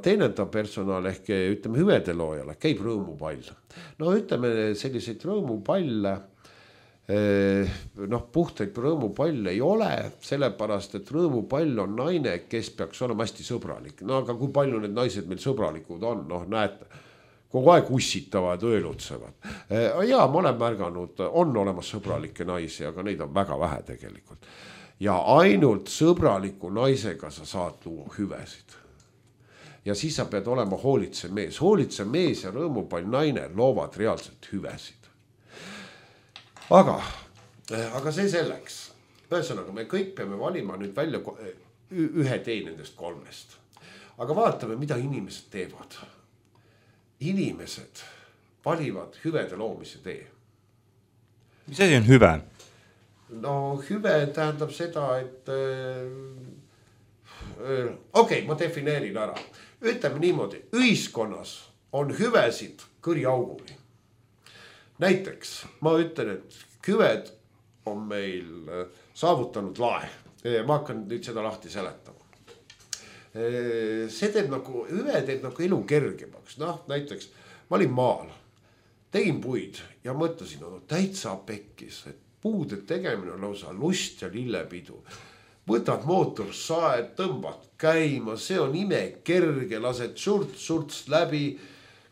teenendav personal ehk ütleme hüvedeloojale käib rõõmupall. No ütleme selliseid rõõmupalle, noh puhtaid rõõmupalle ei ole, sellepärast, et rõõmupall on naine, kes peaks olema hästi sõbralik. No aga kui palju need naised meil sõbralikud on, noh näete, kogu aeg ussitavad, öölutsevad. Ja ma olen märganud, on olemas sõbralikke naisi, aga neid on väga vähe tegelikult. Ja ainult sõbraliku naisega sa saad luua hüvesid. Ja siis sa pead olema hoolitse mees. Hoolitse mees ja rõõmupall naine loovad reaalselt hüvesid. Aga, aga see selleks. Ühesõnaga, me kõik peame valima nüüd välja ühe tee nendest kolmest. Aga vaatame, mida inimesed teevad. Inimesed valivad hüvede loomise tee. Mis asi on hüve? No hüve tähendab seda, et okei, okay, ma defineerin ära. Ütleme niimoodi, ühiskonnas on hüvesid kõriauguni. Näiteks ma ütlen, et hüved on meil saavutanud lae. Ma hakkan nüüd seda lahti seletama. See teeb nagu, hüve teeb nagu elu kergemaks. Noh, näiteks ma olin maal, tegin puid ja mõtlesin, no täitsa pekkis, et puude tegemine on lausa lust ja lillepidu. Võtad mootorsaed, tõmbad käima, see on ime kerge, lased surts-surts läbi.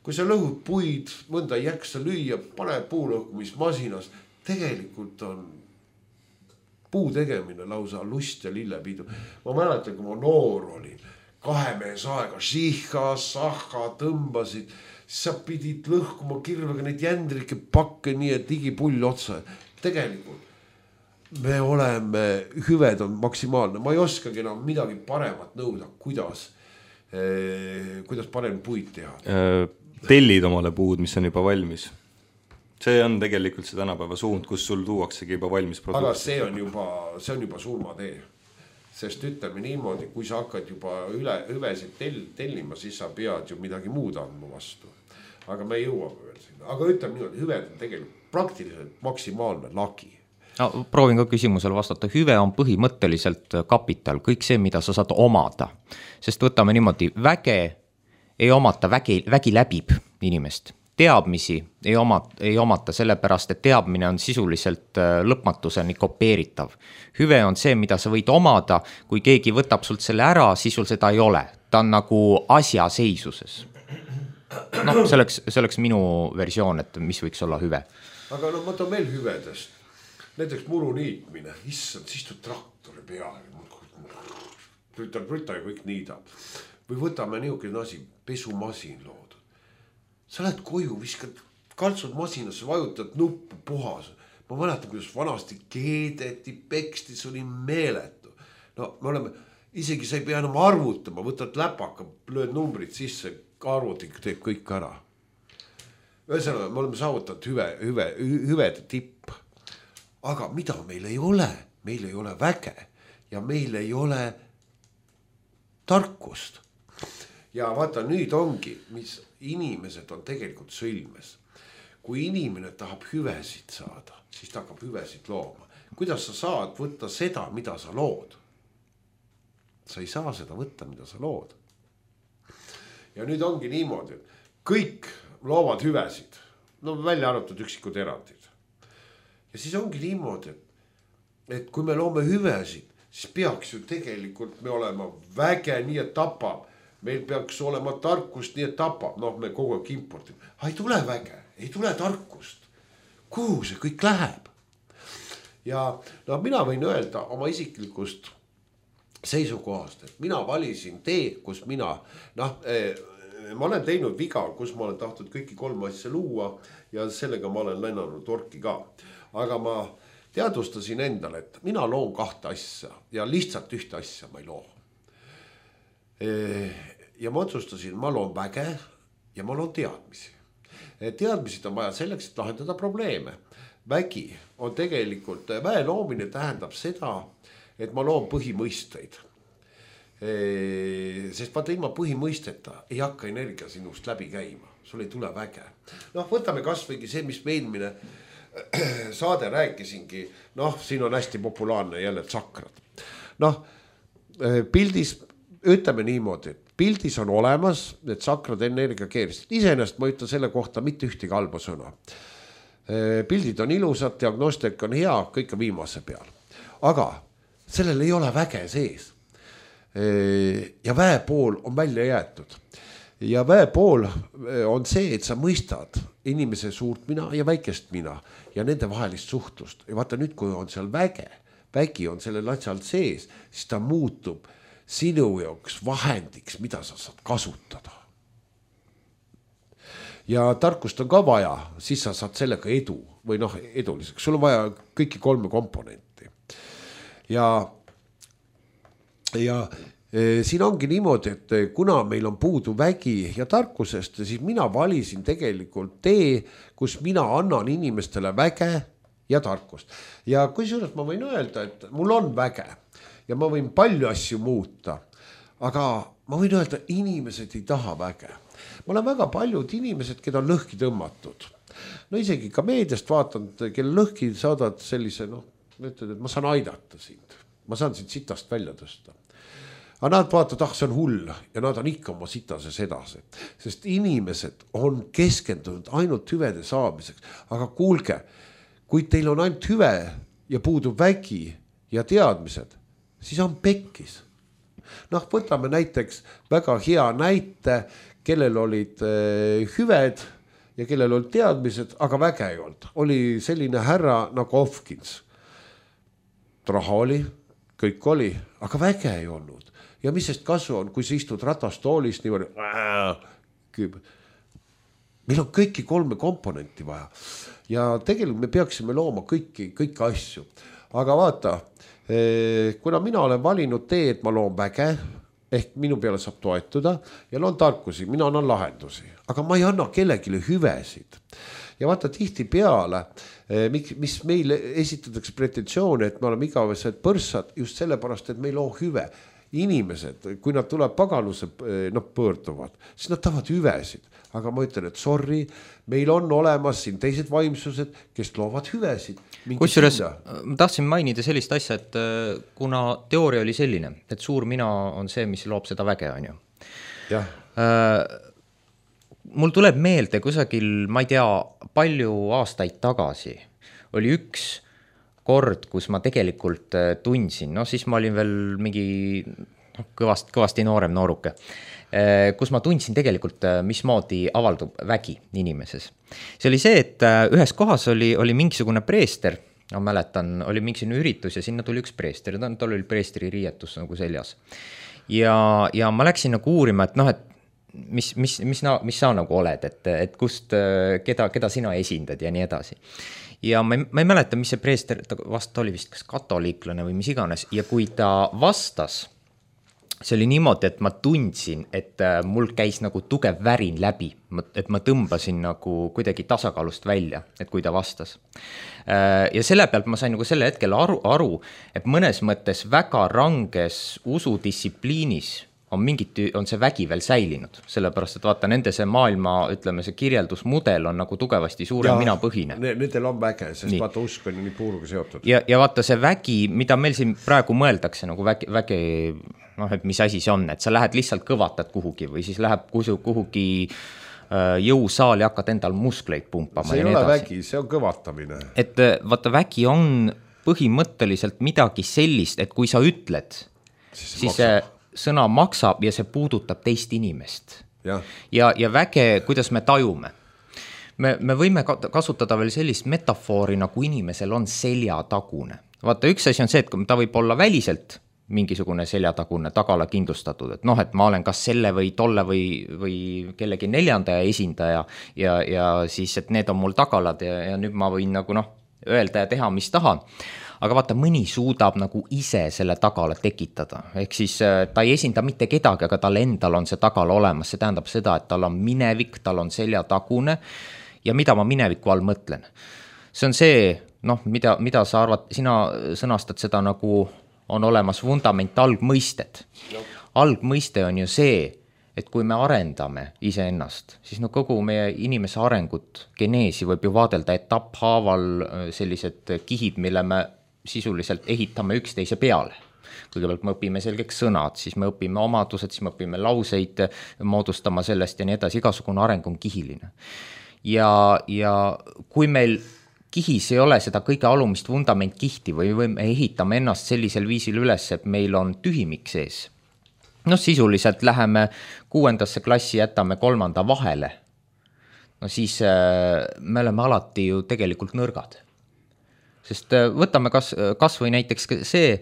Kui sa lõhud puid, mõnda ei jaksa lüüa, pane puulõhkumismasinas. Tegelikult on puu tegemine lausa lust ja lillepidu. Ma mäletan, kui ma noor olin, kahe mees aega, šiha, sahha, tõmbasid, sa pidid lõhkuma kirvega neid jändrike pakke nii, et digipull otsa. Tegelikult me oleme, hüved on maksimaalne, ma ei oskagi enam midagi paremat nõuda, kuidas, eh, kuidas parem puid teha. Tellid omale puud, mis on juba valmis. See on tegelikult see tänapäeva suund, kus sul tuuaksegi juba valmis produkt. Aga see on juba, see on juba surmatee. Sest ütleme niimoodi, kui sa hakkad juba üle hüvesid tell, tellima, siis sa pead ju midagi muud andma vastu. Aga me jõuame veel sinna. Aga ütleme niimoodi, hüved on tegelikult praktiliselt maksimaalne lagi. No, proovin ka küsimusele vastata. Hüve on põhimõtteliselt kapital, kõik see, mida sa saad omada. Sest võtame niimoodi, väge ei omata, vägi, vägi läbib inimest. Teadmisi ei omata, ei omata sellepärast, et teadmine on sisuliselt lõpmatuseni kopeeritav. Hüve on see, mida sa võid omada, kui keegi võtab sult selle ära, siis sul seda ei ole. Ta on nagu asja seisuses. No, see oleks, see oleks minu versioon, et mis võiks olla hüve. Aga no ma toon veel hüvedest. Näiteks muru niitmine, issand, siis tu traktori peale. Rütar, rütar ja kõik niidab. või võtame niisugune asi, pesumasin loodud. Sa lähed koju, viskad kaltsud masinasse, vajutad nuppu, puhas. Ma mäletan, kuidas vanasti keedeti, peksti, see oli meeletu. No me oleme, isegi sa ei pea enam arvutama, võtad läpaka, lööd numbrid sisse, arvutik teeb kõik ära. Ühesõnaga, me oleme saavutanud hüve, hüve, hüvede tipp. Aga mida meil ei ole? Meil ei ole väge ja meil ei ole tarkust. Ja vaata, nüüd ongi, mis inimesed on tegelikult sõlmes. Kui inimene tahab hüvesid saada, siis ta hakkab hüvesid looma. Kuidas sa saad võtta seda, mida sa lood? Sa ei saa seda võtta, mida sa lood. Ja nüüd ongi niimoodi, et kõik loovad hüvesid. No välja arvatud üksikud erandid. Ja siis ongi niimoodi, et, et kui me loome hüvesid, siis peaks ju tegelikult me olema väge, nii et tapab. Meil peaks olema tarkust, nii et tapab. Noh, me kogu aeg importime. Ei tule väge, ei tule tarkust. Kuhu see kõik läheb? Ja no, mina võin öelda oma isiklikust seisukohast, et mina valisin tee, kus mina, noh, eh, ma olen teinud viga, kus ma olen tahtnud kõiki kolm asja luua ja sellega ma olen lennanud orki ka. Aga ma teadvustasin endale, et mina loon kahte asja ja lihtsalt ühte asja ma ei loo. Ja ma otsustasin, ma loon väge ja ma loon teadmisi. Teadmised on vaja selleks, et lahendada probleeme. Vägi on tegelikult, väe loomine tähendab seda, et ma loon põhimõisteid. Sest vaata ilma põhimõisteta ei hakka energia sinust läbi käima. Sul ei tule väge. Noh, võtame kas võigi see, mis me eelmine saade rääkisingi. Noh, siin on hästi populaarne jälle tsakrad. Noh, pildis ütleme niimoodi, et pildis on olemas need tsakrad energia keerist. Iseenesest ma ütlen selle kohta mitte ühtegi halba sõna. Pildid on ilusad, diagnostik on hea, kõik on viimase peal. Aga sellel ei ole väge sees. Ja väe pool on välja jäetud. Ja väe pool on see, et sa mõistad inimese suurt mina ja väikest mina ja nende vahelist suhtlust. Ja vaata nüüd, kui on seal väge, vägi on sellel asjal sees, siis ta muutub sinu jaoks vahendiks, mida sa saad kasutada. Ja tarkust on ka vaja, siis sa saad sellega edu või noh, eduliseks. Sul on vaja kõiki kolme komponenti. Ja, ja e, siin ongi niimoodi, et kuna meil on puudu vägi ja tarkusest, siis mina valisin tegelikult tee, kus mina annan inimestele väge ja tarkust. Ja kui suurelt ma võin öelda, et mul on väge ja ma võin palju asju muuta, aga ma võin öelda, inimesed ei taha väge. Ma olen väga paljud inimesed, keda on lõhki tõmmatud. No isegi ka meediast vaatanud, kelle lõhki saadad sellise, noh, ütled, et ma saan aidata sind. Ma saan sind sitast välja tõsta. Aga nad vaatavad, ah, see on hull ja nad on ikka oma sitases edasi. Sest inimesed on keskendunud ainult hüvede saamiseks. Aga kuulge, kui teil on ainult hüve ja puudub vägi ja teadmised, siis on pekkis. Noh, võtame näiteks väga hea näite, kellel olid hüved ja kellel olid teadmised, aga väge ei olnud. Oli selline härra nagu Hopkins. Raha oli, kõik oli, aga väge ei olnud. Ja mis sest kasu on, kui sa istud ratastoolis niimoodi, meil on kõiki kolme komponenti vaja. Ja tegelikult me peaksime looma kõiki, kõiki asju. Aga vaata, kuna mina olen valinud tee, et ma loon väge, ehk minu peale saab toetuda ja loon tarkusi, mina annan lahendusi, aga ma ei anna kellegile hüvesid. Ja vaata tihti peale, mis meile esitatakse pretensioone, et me oleme igavesed põrsad just sellepärast, et me ei loo hüve. Inimesed, kui nad tuleb pagaluse no, pöörduvad, siis nad tahavad hüvesid. Aga ma ütlen, et sorry, meil on olemas siin teised vaimsused, kes loovad hüvesid. Kusjuures ma tahtsin mainida sellist asja, et kuna teooria oli selline, et suur mina on see, mis loob seda väge, on ju. Jah. Äh, mul tuleb meelde kusagil, ma ei tea, palju aastaid tagasi oli üks kord, kus ma tegelikult tundsin, no siis ma olin veel mingi no, kõvast, kõvasti noorem nooruke, kus ma tundsin tegelikult, mismoodi avaldub vägi inimeses. See oli see, et ühes kohas oli, oli mingisugune preester, ma mäletan, oli mingisugune üritus ja sinna tuli üks preester, tal oli preesteri riietus nagu seljas. ja, ja ma läksin nagu uurima, et noh, et mis, mis, mis, mis sa nagu oled, et, et kust, keda, keda sina esindad ja nii edasi. Ja ma ei, ma ei mäleta, mis see preester, ta vast oli vist kas katoliiklane või mis iganes, ja kui ta vastas, see oli niimoodi, et ma tundsin, et mul käis nagu tugev värin läbi, et ma tõmbasin nagu kuidagi tasakaalust välja, et kui ta vastas. Ja selle pealt ma sain nagu selle hetkel aru, aru, et mõnes mõttes väga ranges usudistsipliinis on mingit, on see vägi veel säilinud, sellepärast, et vaata, nende see maailma, ütleme, see kirjeldusmudel on nagu tugevasti suure mina põhine. Nendel on väge, sest nii. Vaata, usk on ju nii puuruga seotud. Ja, ja vaata, see vägi, mida meil siin praegu mõeldakse, nagu vägi, vägi, noh, et mis asi see on, et sa lähed lihtsalt kõvatad kuhugi või siis läheb kuhugi jõusaali, hakkad endal muskleid pumpama. See ei ole vägi, see on kõvatamine. Et vaata, vägi on põhimõtteliselt midagi sellist, et kui sa ütled, siis, siis see sõna maksab ja see puudutab teist inimest. Ja, ja, ja väge, kuidas me tajume. Me, me võime kasutada veel sellist metafoori, nagu inimesel on seljatagune. Vaata, üks asi on see, et ta võib olla väliselt mingisugune seljatagune, tagala kindlustatud, et noh, et ma olen kas selle või tolle või, või kellegi neljanda esindaja ja, ja siis, et need on mul tagalad ja, ja nüüd ma võin nagu noh, öelda ja teha, mis tahan. Aga vaata, mõni suudab nagu ise selle tagala tekitada. Ehk siis ta ei esinda mitte kedagi, aga tal endal on see tagala olemas. See tähendab seda, et tal on minevik, tal on seljatagune ja mida ma mineviku all mõtlen. See on see, noh, mida, mida sa arvad, sina sõnastad seda nagu on olemas vundament algmõisted. Algmõiste on ju see, et kui me arendame iseennast, siis no kogu meie inimese arengut, geneesi võib ju vaadelda etapphaaval sellised kihid, mille me sisuliselt ehitame üksteise peale. Kõigepealt me õpime selgeks sõnad, siis me õpime omadused, siis me õpime lauseid moodustama sellest ja nii edasi, igasugune areng on kihiline. Ja, ja kui meil kihis ei ole seda kõige alumist vundament kihti või me ehitame ennast sellisel viisil üles, et meil on tühimik sees. No sisuliselt läheme kuuendasse klassi, jätame kolmanda vahele. No siis me oleme alati ju tegelikult nõrgad. Sest võtame kas, kas või näiteks see,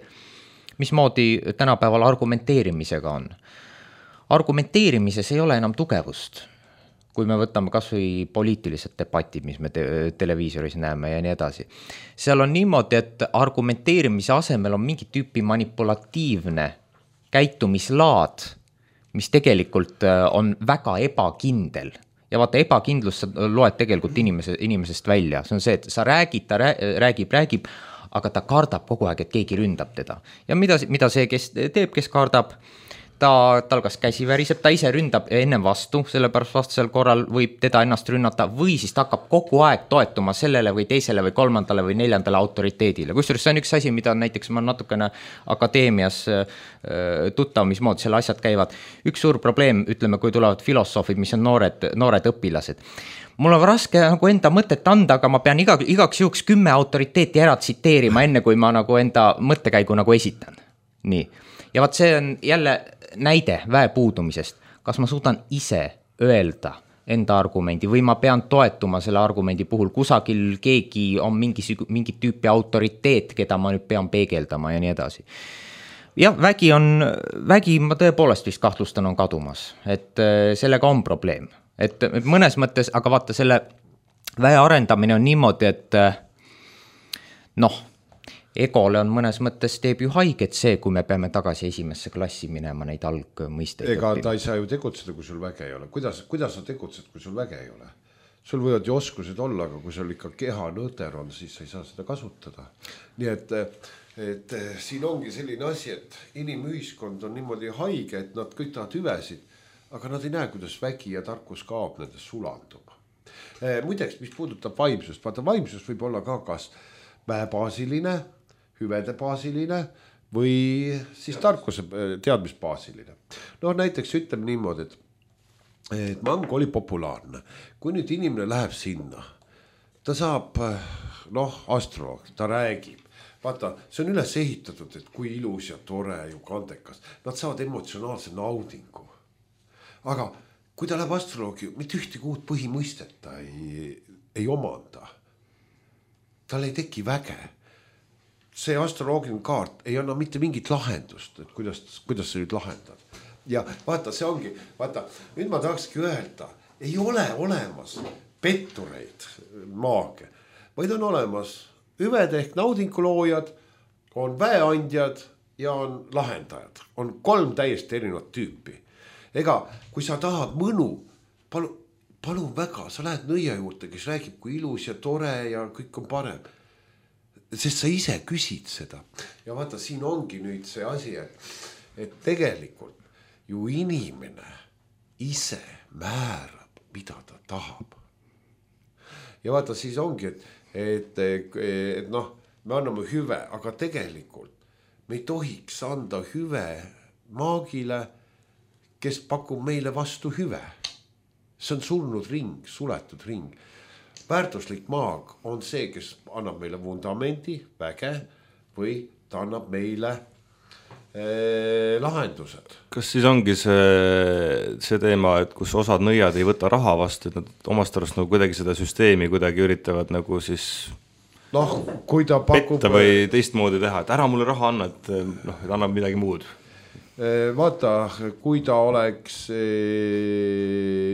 mismoodi tänapäeval argumenteerimisega on. Argumenteerimises ei ole enam tugevust, kui me võtame kas või poliitilised debatid, mis me te televiisoris näeme ja nii edasi. Seal on niimoodi, et argumenteerimise asemel on mingi tüüpi manipulatiivne käitumislaad, mis tegelikult on väga ebakindel. Ja vaata, ebakindlus sa loed tegelikult inimese, inimesest välja. See on see, et sa räägid, ta räägib, räägib, aga ta kardab kogu aeg, et keegi ründab teda. Ja mida, mida see, kes teeb, kes kardab, ta, tal kas käsi väriseb, ta ise ründab enne vastu, sellepärast vastasel korral võib teda ennast rünnata või siis ta hakkab kogu aeg toetuma sellele või teisele või kolmandale või neljandale autoriteedile. Kusjuures see on üks asi, mida näiteks ma natukene akadeemias tuttav, mismoodi selle asjad käivad. Üks suur probleem, ütleme, kui tulevad filosoofid, mis on noored, noored õpilased. Mul on raske nagu enda mõtet anda, aga ma pean iga, igaks juhuks kümme autoriteeti ära tsiteerima, enne kui ma nagu enda mõttekäigu nagu esitan. Nii. Ja vaat see on jälle näide väe puudumisest. Kas ma suudan ise öelda enda argumendi või ma pean toetuma selle argumendi puhul, kusagil keegi on mingi, mingi tüüpi autoriteet, keda ma nüüd pean peegeldama ja nii edasi. Jah, vägi on, vägi ma tõepoolest vist kahtlustan on kadumas, et sellega on probleem. Et mõnes mõttes, aga vaata selle väe arendamine on niimoodi, et noh, egole on mõnes mõttes teeb ju haiget see, kui me peame tagasi esimesse klassi minema neid algmõisteid. Ega ta ei saa ju tegutseda, kui sul väge ei ole. Kuidas, kuidas sa tegutsed, kui sul väge ei ole? Sul võivad ju oskused olla, aga kui sul ikka keha nõter on, siis sa ei saa seda kasutada. Nii et, et siin ongi selline asi, et inimühiskond on niimoodi haige, et nad kõik tahavad hüvesid, aga nad ei näe, kuidas vägi ja tarkus kaob, nendes sulandub. Muideks, mis puudutab vaimsust, vaata vaimsus võib olla ka kas väebaasiline, hüvede baasiline või siis tarkuse teadmisbaasiline. No näiteks ütleme niimoodi, et, et mango oli populaarne. Kui nüüd inimene läheb sinna, ta saab, noh, astroloog, ta räägib. Vaata, see on üles ehitatud, et kui ilus ja tore ju kandekas. Nad saavad emotsionaalse naudingu. Aga kui ta läheb astroloogi, mitte ühtegi uut põhimõistet ta ei, ei omanda. Tal ei teki väge. see astroloogiline kaart ei anna mitte mingit lahendust, et kuidas, kuidas sa nüüd lahendad. Ja vaata, see ongi, vaata, nüüd ma tahakski öelda, ei ole olemas pettureid maage, vaid on olemas hüved ehk naudinguloojad, on väeandjad ja on lahendajad. On kolm täiesti erinevat tüüpi. Ega, kui sa tahad mõnu, palun, palun väga, sa lähed nõia juurde, kes räägib, kui ilus ja tore ja kõik on parem. Sest sa ise küsid seda. Ja vaata, siin ongi nüüd see asi, et, et tegelikult ju inimene ise määrab, mida ta tahab. Ja vaata, siis ongi, et, et, et, et noh, me anname hüve, aga tegelikult me ei tohiks anda hüve maagile, kes pakub meile vastu hüve. See on surnud ring, suletud ring. Väärtuslik maag on see, kes annab meile vundamendi, väge või ta annab meile eh, lahendused. Kas siis ongi see, see teema, et kus osad nõiad ei võta raha vastu, et nad omast arust nagu kuidagi seda süsteemi kuidagi üritavad nagu siis noh, kui ta pakub petta või teistmoodi teha, et ära mulle raha anna, et, noh, et annab midagi muud? Vaata, kui ta oleks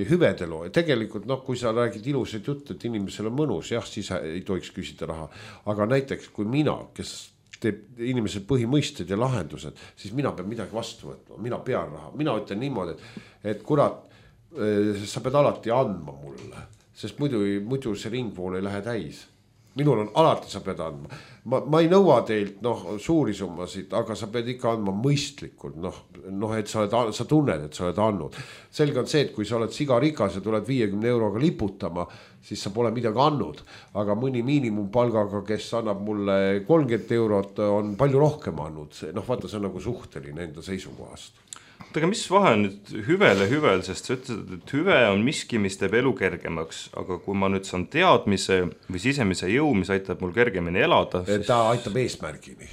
hüvedelo, tegelikult noh, kui sa räägid ilusad juttu, et inimesel on mõnus, jah, siis ei tohiks küsida raha. Aga näiteks kui mina, kes teeb inimesel põhimõisted ja lahendused, siis mina pean midagi vastu võtma, mina pean raha. Mina ütlen niimoodi, et, et kurat, sa pead alati andma mulle, sest muidu, muidu see ringvool ei lähe täis. Minul on alati, sa pead andma. Ma, ma ei nõua teilt noh, suuri summasid, aga sa pead ikka andma mõistlikult, noh, noh, et sa, oled, sa tunned, et sa oled andnud. Selge on see, et kui sa oled sigarikas ja tuled viiekümne euroga liputama, siis sa pole midagi andnud. Aga mõni miinimumpalgaga, kes annab mulle kolmkümmend eurot, on palju rohkem andnud. Noh, vaata, see on nagu suhteline enda seisukohast. Aga mis vahe on nüüd hüvel ja hüvel, sest sa ütlesid, et hüve on miski, mis teeb elu kergemaks, aga kui ma nüüd saan teadmise või sisemise jõu, mis aitab mul kergemini elada, siis... ta aitab eesmärgini.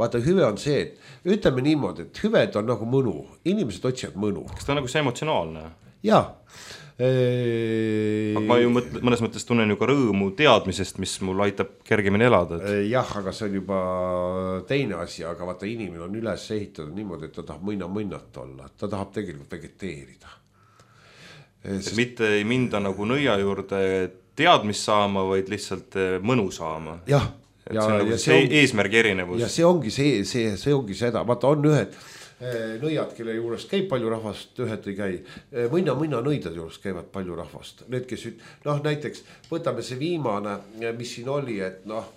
Vaata, hüve on see, et ütleme niimoodi, et hüved on nagu mõnu, inimesed otsivad mõnu. Kas ta on nagu see emotsionaalne? Jaa. Aga ma ju mõtle, mõnes mõttes tunnen ju ka rõõmu teadmisest, mis mul aitab kergemini elada. Et... jah, aga see on juba teine asi, aga vaata, inimene on üles ehitatud niimoodi, et ta tahab mõina-mõnnat olla, ta tahab tegelikult vegeteerida. Sest... mitte ei minda nagu nõia juurde teadmist saama, vaid lihtsalt mõnu saama. Jah. Et ja, see on nagu see on... eesmärgi erinevus. Ja see ongi, see, see, see ongi seda, vaata on ühed nõiad, kelle juures käib palju rahvast, ühed ei käi. Mõina, mõina nõidade juures käivad palju rahvast. Need, kes üt... noh, näiteks võtame see viimane, mis siin oli, et noh,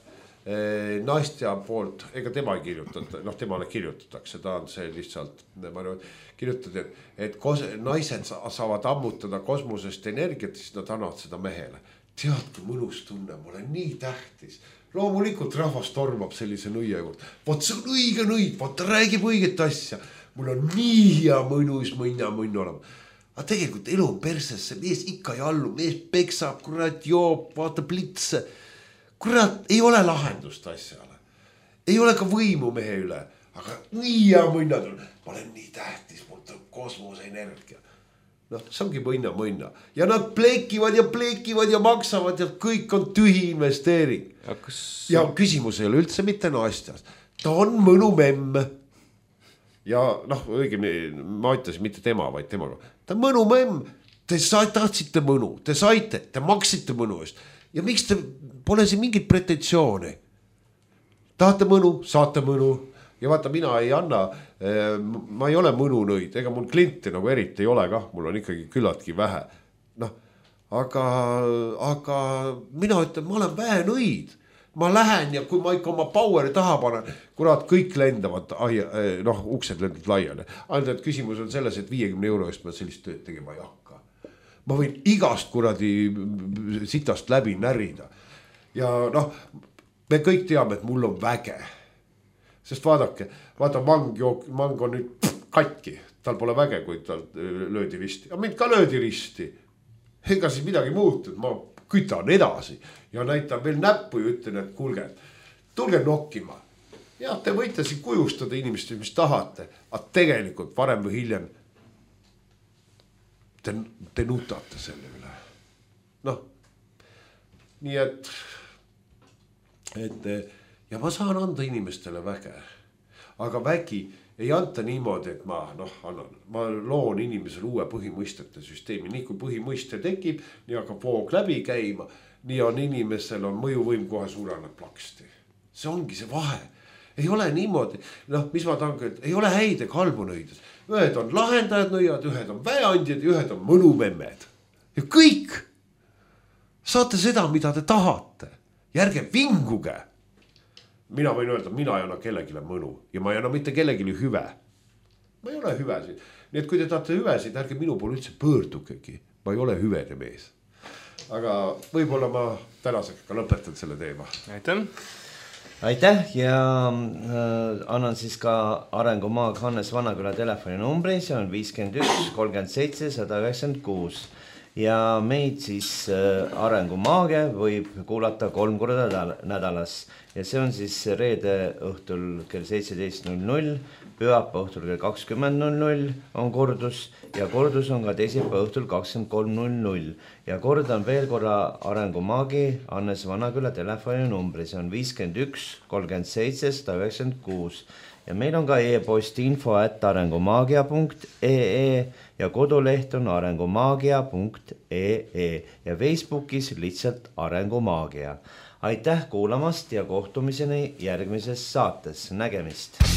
Nastja poolt, ega tema ei kirjutata, noh, temale kirjutatakse, ta on see lihtsalt, ma arvan, kirjutad, et, et kos... naised saavad ammutada kosmosest energiat, siis nad annavad seda mehele. Teadki mõnus tunne, ma olen nii tähtis. Loomulikult rahvas tormab sellise nõia juurde. Vaat see on õige nõid, vaat ta räägib õiget asja. Mul on nii hea mõnus mõnna mõnna olema. Aga tegelikult elu on persesse, mees ikka ei allu, mees peksab, kurat joob, vaata plitse. Kurat, ei ole lahendust asjale. Ei ole ka võimu mehe üle, aga nii hea mõnna tuleb. Ma olen nii tähtis, mul tuleb kosmose energia. Noh, see ongi mõnna mõnna. Ja nad plekivad ja plekivad ja maksavad ja kõik on tühi investeering. Ja, kas... ja küsimus ei ole üldse mitte Nastjas. Ta on mõnu memm. Ja noh, õigemini, ma ütlesin mitte tema, vaid temaga. Ta on mõnu memm. Te tahtsite mõnu, te saite, te maksite mõnu eest. Ja miks te pole siin mingit pretensiooni? Tahate mõnu, saate mõnu. Ja vaata, mina ei anna, ma ei ole mõnunõid, ega mul kliente nagu eriti ei ole kah, mul on ikkagi küllaltki vähe. Noh, aga, aga mina ütlen, ma olen vähenõid. Ma lähen ja kui ma ikka oma poweri taha panen, kurat, kõik lendavad, noh, uksed lendavad laiali. Ainult, et küsimus on selles, et viiekümne euro eest ma sellist tööd tegema ei hakka. Ma võin igast kuradi sitast läbi närida. Ja noh, me kõik teame, et mul on väge. Sest vaadake, vaata mang, jook, mang on nüüd pff, katki, tal pole väge, kui tal löödi risti. Ja mind ka löödi risti. Ega siis midagi muutud, ma kütan edasi ja näitan veel näppu ja ütlen, et kuulge, tulge nokkima. Ja te võite siin kujustada inimest, mis tahate, aga tegelikult varem või hiljem te, te nutate selle üle. Noh, nii et, et ja ma saan anda inimestele väge, aga vägi ei anta niimoodi, et ma noh, annan, ma loon inimesele uue põhimõistete süsteemi, nii kui põhimõiste tekib, nii hakkab voog läbi käima, nii on inimesel on mõjuvõim kohe suureneb plaksti. See ongi see vahe. Ei ole niimoodi, noh, mis ma tahan, et ei ole häid ega halbu nõides. Ühed on lahendajad nõiad, ühed on väeandjad ja ühed on mõnumemmed. Ja kõik saate seda, mida te tahate. Järge vinguge. Mina võin öelda, mina ei anna kellegile mõnu ja ma ei anna mitte kellegile hüve. Ma ei ole hüvesid. Nii et kui te tahate hüvesid, ärge minu poole üldse pöördukegi. Ma ei ole hüvede mees. Aga võib-olla ma tänasega ka lõpetan selle teema. Aitäh! Aitäh ja äh, annan siis ka Arengumaag Hannes Vanaküla telefoninumbri, see on viiskümmend üks kolmkümmend seitse sada üheksakümmend kuus ja meid siis äh, Arengumaage võib kuulata kolm korda nädalas ja see on siis reede õhtul kell seitseteist null null, pühapäeva õhtul kell kakskümmend null null on kordus ja kordus on ka teisipäeva õhtul kakskümmend kolm null null ja kordan veel korra Arengumaagi Hannes Vanaküla telefoninumbri, see on viiskümmend üks kolmkümmend seitse sada üheksakümmend kuus ja meil on ka e-post info at arengumaagia punkt ee ja koduleht on arengumaagia punkt ee ja Facebookis lihtsalt Arengumaagia. Aitäh kuulamast ja kohtumiseni järgmises saates, nägemist!